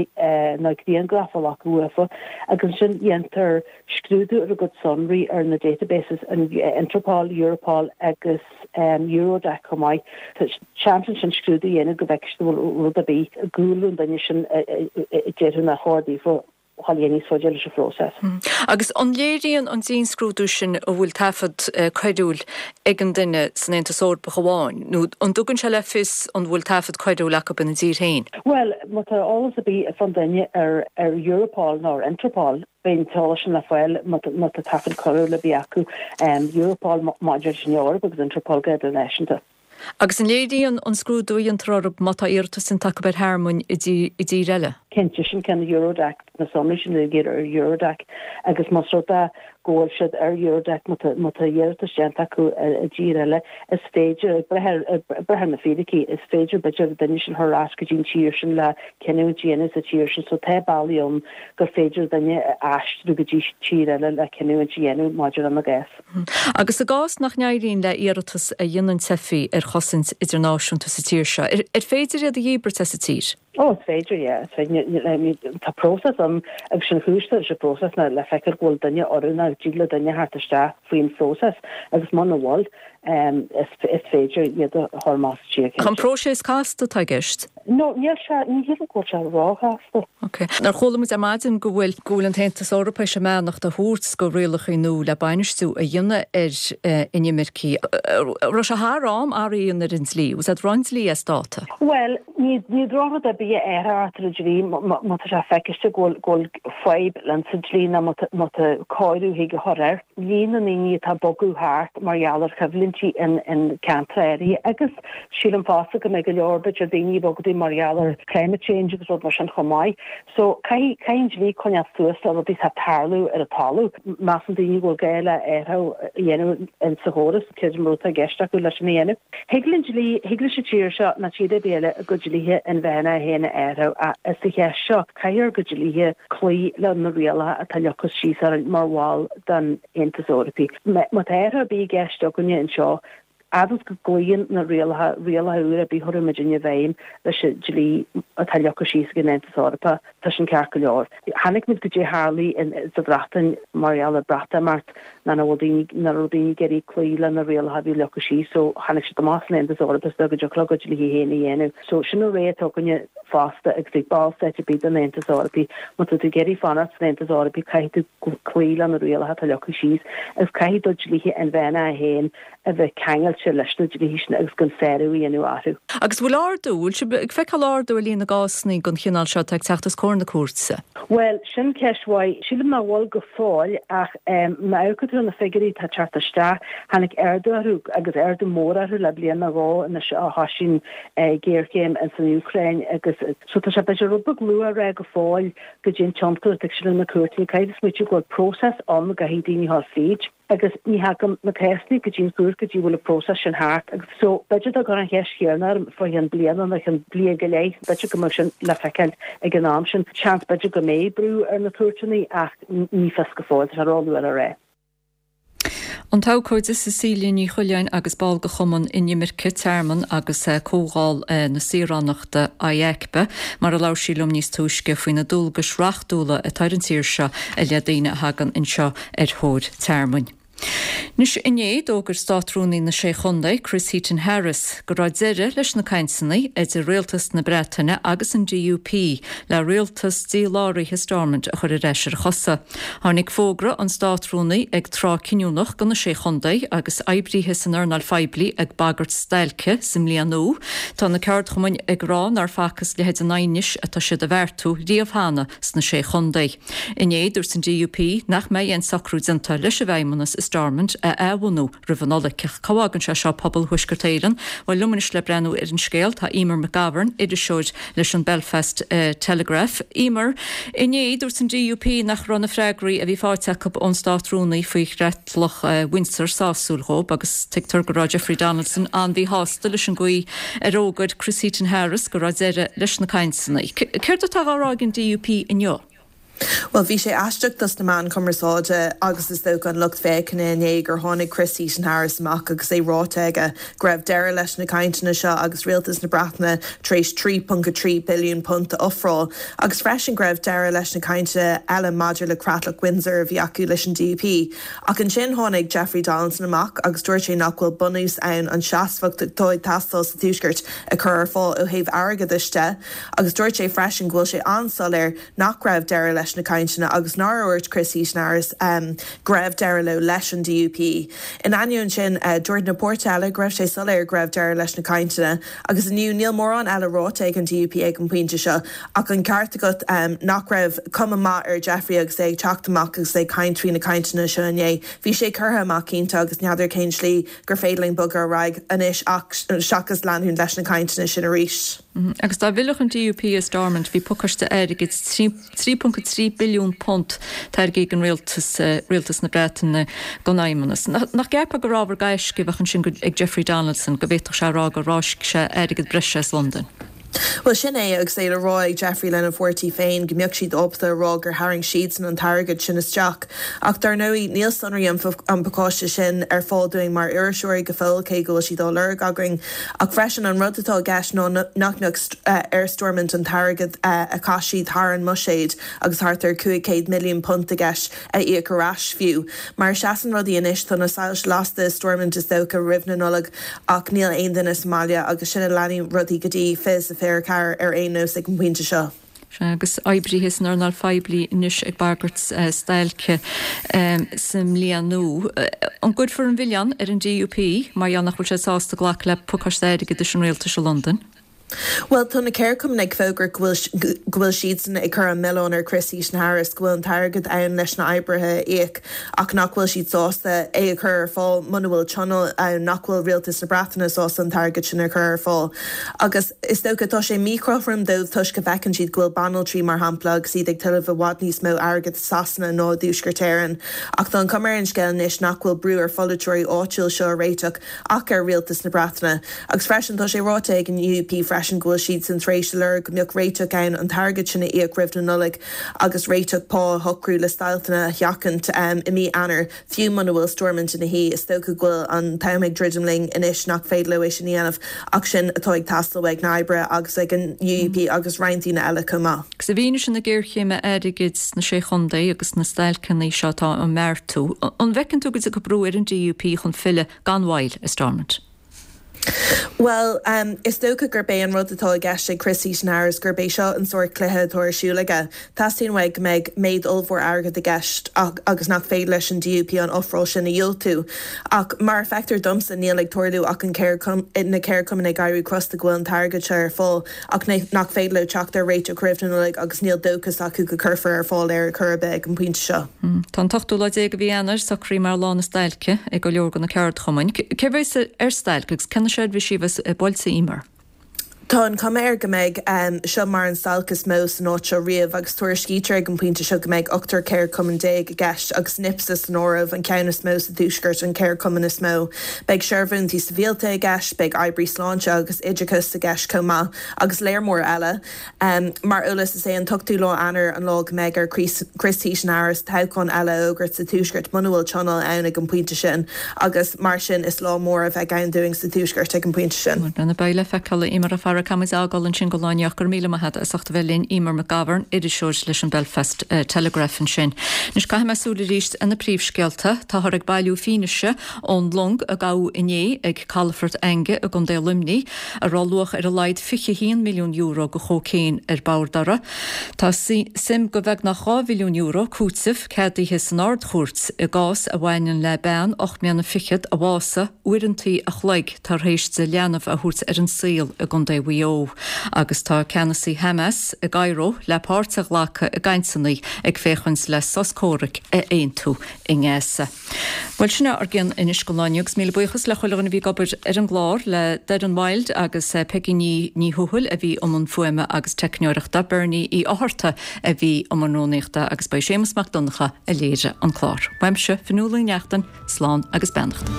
nó grianghraf a ghlacadh uafa agus ansin dhéantar scrúdú ar a gcuid sonraí ar na databases, an Interpol, Europol agus Eurodac chomh maith. Tá seans ansin scrúdú a dhéanamh go bhfeicfidh siad an bhfuil rud ar bith i gcúlra an duine sin a déarfainn nár chóir daofa dhul níos faide leis an phróiseas. Agus an léiríonn an dianscrúdú sin an bhfuil taifead coiriúil ag an duine san Aontas Eorpach amháin, nó an dtugann sé le fios an bhfuil taifead coiriúil acu ina dtír féin? Bhuel, má tá eolas ar bith fán duine ar ar Europol nó ar Interpol, beidh an t-eolas sin le fáil má tá taifead coiriúil ar bith acu, Europol maidir leis an Eoraip agus Interpol go hidirnáisiúnta. Agus an léiríonn an scrúdú a dhéantar orthu má tá iarratas déanta acu ar thearmann i dtír eile? Cinnte, sin ceann Eurodac, na sonraí sin uilig ar Eurodac agus más rud é go bhfuil siad ar Eurodac, má tá iarratas déanta acu i dtír eile, is féidir, ag brath ar na fíricí, is féidir b'fhéidir an duine sin a chur ar ais go dtí an tír sin le cinniúint a dhéanamh sa tír sin. So tá bealaí ann gur féidir duine a aistriú go dtí tír eile le cinniúint a dhéanamh maidir lena gcás. Agus i gcás nach n-éiríonn le iarratas a dhéanann teifigh ar chosaint idirnáisiúnta sa tír seo, ar féidir iad a dhíbirt as an tír? Ó, is féidir, yeah. Is féidir. Tá próiseas ann agus sin chúis leis an bpróiseas ná le feiceáil go bhfuil duine oiriúnach, go dtig le duine theacht isteach faoin phróiseas agus muna bhfuil, is féidir iad a chur amach as an tír, cinnte. An próiseas casta atá i gceist? No, níl sé, ní shílim go bhfuil sé róchasta. Ok. Nuair chuala muid ar maidin go bhfuil, go bhfuil an tAontas Eorpach tar éis a mbeannacht a thabhairt do rialacha nua le bainistiú a dhéanamh ar inimircigh. Raibh sé thar am athrú a dhéanamh ar an dlí? Was that an dlí as dáta? Bhuel, ní, ní drochrud ar bith é athrú ar an dlí má tá sé feiciste go bhfuil, go bhfuil fadhb leis an dlí nó má tá, má tá cóiriú chuige a chur air. Líon na ndaoine atá ag bogadh thart mar gheall ar choimhlintí in, in ceantair áirithe agus sílim fosta go mbeidh go leor b'fhéidir daoine ag bogadh mar gheall ar climate change agus rud mar sin chomh maith. So caithfidh, caithfidh an dlí coinneáil suas le rudaí atá ag tarlú ar an talamh. Measann daoine go bhfuil gá le athrú a dhéanamh in sa chóras, creidim rud atá i gceist acu leis sin a dhéanamh. Thig linn dlí, thig leis an tír seo ná tír ar bith eile a gcuid dlíthe inmheánacha féin a athrú ach sa cheist seo caithfidh ár gcuid dlíthe cloí le na rialacha atá leagtha síos orainn mar bhall den Aontas Eorpaí. Má tá athrú ar bith i gceist againne anseo, fhad is go gcloíonn na rialacha, rialacha úra ar bith a chuirfidh muidinne i bhfeidhm leis an dlí atá leagtha síos ag an Aontas Eorpach, tá sin ceart go leor. Chonaic muid goidé a tharlaigh sa Bhreatain mar gheall ar Breatimeacht, ná nach bhfuil daoine, nach raibh daoine ag iarraidh cloí le na rialacha a bhí leagtha síos so tháinig siad amach as an Aontas Eorpach is go dtiocfadh leo a gcuid dlíthe féin a dhéanamh. So sin an rogha atá againne fosta agus ag ballstáit ar bith den Aontas Eorpaí. Má tá tú ag iarraidh fanacht san Aontas Eorpaí caithfidh tú cloí le na rialacha atá leagtha síos agus caithfidh do dhlíthe inmheánacha féin a bheith ceangailte leis na dlíthe sin agus gan sárú a dhéanamh orthu. Agus bhfuil ardú, bhfuil sibh ag feiceáil ardú ar líon na gcásanna den chineál seo atá ag teacht os comhair na cúirte? Bhuel, sin ceist mhaith. Sílim nach bhfuil go fóill ach má amharcann tú ar na figiúirí atá ag teacht isteach, tháinig ardú orthu agus ardú mór orthu le bliain nó dhó anois ó thosaigh an ghéarchéim ins an Úcráin agus so tá sé b'fhéidir rud beag luath a rá go fóill goidé an tionchar atá ag sin ar na cúirteanna. Caithfidh tú smaoitiú go bhfuil próiseas ann go gcaithfidh daoine a dhul fríd. agus ní thagann na cásanna go dtí an chúirt go dtí go bhfuil an próiseas sin thart agus so b'fhéidir dá gcuirfeá an cheist chéanna orm fá cheann bliana nó ceann bliain go leith, b'fhéidir go mbeadh sin le feiceáil ag an am sin. Seans b'fhéidir go mbeidh brú ar na cúirteanna ach ní fios go fóill, tá sé róluath le rá. An t-abhcóide Cecilia Ní Choileáin agus ball de Chumann Inimirce, Tearmann agus Comhdháil na Saoránachta, IACBE, mar a labhair sí liom níos túisce faoi na dualgais reachtúla atá ar an tír seo i leith daoine a thagann anseo ar thóir tearmainn. Anois inné d'fhógair Státrúnaí na Sé Chontae, Chris Heaton-Harris, go raibh deireadh leis na cainteanna idir rialtas na Breataine agus an DUP le rialtas díláraithe Stormont a chur ar ais ar a chosa. Tháinig fógra an Státrúnaí ag tráth cinniúnach do na Sé Chontae agus oibrithe san earnáil phoiblí ag bagairt stailce sa mbliain nua. Tá na ceardchumainn ag rá nár facthas leithéid an aighnis atá siad a bheartú riamh cheana sna Sé Chontae. Inné dúirt an DUP nach mbeidh aon socrú déanta leis an bhFeidhmeannas i Stormont a athbhunú roimh an Nollaig. Cá bhfágann sé seo pobal Thuaisceart Éireann? Bhuel, liom anois le breathnú ar an scéal tá Emer McGovern, iriseoir leis an Belfast Telegraph. Emer, inné dúirt an DUP nach raibh na freagraí a bhí faighte acu ón Státrúnaí faoi chreatlach Windsor sásúil dhóibh agus tuigtear go raibh Jeffrey Donaldson an-mhíshásta leis an gcaoi ar fhógair Chris Heaton-Harris go raibh deireadh leis na cainteanna. Céard atá á rá ag an DUP inniu? Bhuel, bhí sé aisteach dos na meáin chumarsáide agus is dócha an lucht féachana inné gur tháinig Chris Heaton-Harris amach agus é ráite aige go raibh deireadh leis na cainteanna seo agus rialtas na Breataine tar éis trí ponc a trí billiún punt a ofráil agus freisin go raibh deireadh leis na cainteanna eile maidir le Creatlach Windsor a bhí acu leis an D U P. Ach ansin tháinig Jeffrey Donaldson amach agus dúirt sé nach bhfuil bunús ann an seasmhacht atá ag teastáil sa Tuaisceart a chur ar fáil ó thaobh airgeadais de agus dúirt sé freisin go bhfuil sé an-soiléir nach raibh deireadh leis na cainteanna agus nár dhúirt Chris Heaton-Harris um, go raibh deireadh leo leis an D U P. In ainneoin sin, uh, dúirt na páirtithe eile go raibh sé soiléir go raibh deireadh leis na cainteanna agus inniu níl mórán eile ráite ag an D U P ag an bpointe seo ach an ceart agat um, nach raibh cuma maith ar Jeffrey agus é ag teacht amach agus é ag caint faoi na cainteanna seo inné. Bhí sé curtha amach cinnte agus n'fheadar cén slí gur féidir linn bogadh ar aghaidh anois ach seachas leanúint leis na cainteanna sin arís. Mm -hmm. Agus dá bhfillfeadh an D U P i Stormont, bhí pacáiste airgid trí ponc trí billiún punt tairgthe ag an rialtas uh, rialtas na Breataine don fheidhmeannas. Nach gceapfá gur ábhar gaisce a bheadh ansin ag Jeffrey Donaldson go bhféadfadh sé rá gur fháisc sé airgead breise as Londain? Well, sin é agus é le rá ag Jeffrey lena pháirtí féin go mbeadh siad ábalta a rá gur tharraing siadsan an t-airgead sin isteach. Ach dar ndóigh níl sonraí an an pacáiste sin ar fáil dúinn mar iriseoirí go fóill, cé go bhfuil siad á lorg againn. Ach freisin an rud atá i gceist ná nach mbeadh ar Stormont an t-airgead a chaith siad thar an mbuiséad agus thart ar cúig chéad milliún punt i gceist a íoc ar ais fiú. Mar seasann rudaí anois, tá na soilse lasta Stormont is dócha roimh na Nollag ach níl aon duine sa mbaile agus sin a leanfaidh rudaí go dtí fiche fiche ceathair ar aon nós ag an bpointe seo. Agus oibrithe san earnáil phoiblí anois ag bagairt uh, stailce um, sa mbliain nua. An gcuirfear an milleán ar an D U P mar gheall nach bhfuil sé sásta glacadh le pacáiste airgeadais an rialtais i Londain? Well, tá na ceardchumainn ag fógairt go bhfuil siadsan ag cur an milleán ar Chris Heaton Harris, go bhfuil an t-airgead ann leis na hoibrithe a íoc ach nach bhfuil siad sásta é a chur ar fáil muna bhfuil tionól ann, nach bhfuil rialtas na Breataine sásta an t-airgead sin a chur ar fáil. Agus is dócha tá sé míchothrom dóibh toisc go bhfeiceann siad go bhfuil banaltraí mar shampla agus iad ag tuilleamh i bhfad níos mó airgead Sasana ná Tuaisceart Éireann. Ach tá an chuma ar an scéal anois nach bhfuil brú ar pholaiteoirí áitiúil seo a réiteach ach ar rialtas na Breataine. Agus freisin tá sé ráite ag an U U P freisin go bhfuil siad san tar éis lorg go mbeadh réiteach ann an t-airgead sin a íoc roimh na Nollag agus réiteach pá a shocrú le stailceanna a sheachaint um, i mí Eanáir, fiú muna bhfuil Stormont ina shuí. Is dócha go bhfuil an t-am ag druidim linn anois nach féidir leo é sin a dhéanamh ach sin atá ag teastáil ag na hoibrithe agus ag an U U P agus roinnt daoine eile chomh maith. Agus i bhfianaise na géarchéime airgid sna sé chontae agus na stailceanna seo atá á mbeartú. An bhfeiceann tú go dtiocfaidh brú ar an D U P chun filleadh gan mhoill i Stormont? Well, um, is dócha gurb é an rud atá i gceist ag Chris Heaton Harris gurb é seo an sórt cluiche atá ar siúl aige. Teastaíonn uaidh go mbeidh méid ollmhór airgead i gceist agus nach féidir leis an D U P an ofráil sin a dhiúltú. Ach mar a fheictear domsa, níl ag tarlú ach an na ceardchumainn ag éirí crosta go bhfuil an t-airgead seo ar fáil ach nach féidir leo teacht ar réiteach roimh na Nollag agus níl dóchas acu go gcuirfear ar fáil ar chor ar bith ag an bpointe seo. Mm. Tá an t-ochtú lá déag de mhí Eanáir socraithe mar lá na stailce ag go leor de na ceardchumainn. Cé bheas ar stailc agus cé na seirbhísí a bheas buailte, Emer? Tá an chuma air go mbeidh um, seo mar an stailc is mó san áit seo riamh agus tuairiscítear ag an bpointe seo go mbeidh ochtar ceardchumann déag i gceist agus NIPSA san áireamh, an ceann is mó sa Tuaisceart, an ceardchumann is mó. Beidh seirbhísí sibhialta i gceist, beidh oibrí sláinte agus oideachas i gceist chomh maith agus léar mór eile. Um, mar eolas, is é an t-ochtú lá Eanáir an lá go mbeidh ar Chris, Chris Heaton Harris toghchán eile a fhógairt sa Tuaisceart muna bhfuil tionól ann ag an bpointe sin agus mar sin is lá mór a bheidh ann dúinn sa Tuaisceart ag an bpointe sin. Lena beidh le feiceáil. Emer fara caimiid ágáil ansin go láneach gur míle maith as ucht a bheith linn, Emer McGovern, iriseoir leis an Belfast uh, Telegraph ansin. Anois caithfidh mé súil arís ar na príomhscéalta. Táthar ag bailiú fianaise ón long a gabhadh inné ag Calafort Enge i gContae Luimnigh a raibh luach ar a laghad fiche haon milliún euro de chócaon ar bord uirthi. Tá suim de bheagnach dhá mhilliún euro cúitimh ceadaithe san Ard-Chúirt i gcás a bhaineann le bean ocht mbliana fichead a bhásaigh uaireanta a chloig tar éis di leanbh a thabhairt ar an saol i gContae Mhaigh Eo. Agus tá ceannasaí Hamas i gCairo le páirt a ghlacadh i gcainteanna ag féachaint le sos comhraic a aontú i nGaza. Well, sin ár gceann anois go lá agus míle buíochas le chuile dhuine a bhí ag obair ar an gclár, le Darren Wild agus eh, Peggy Ní Ní Thuathail a bhí i mbun fuaime agus teicneoireachta, Bernie Uí Fhátharta a bhí i mbun rúnaíochta agus ba é Séamus Mac Donncha a léirigh an clár. Uaimse, Fionnuala Ní Neachtain, slán agus beannacht.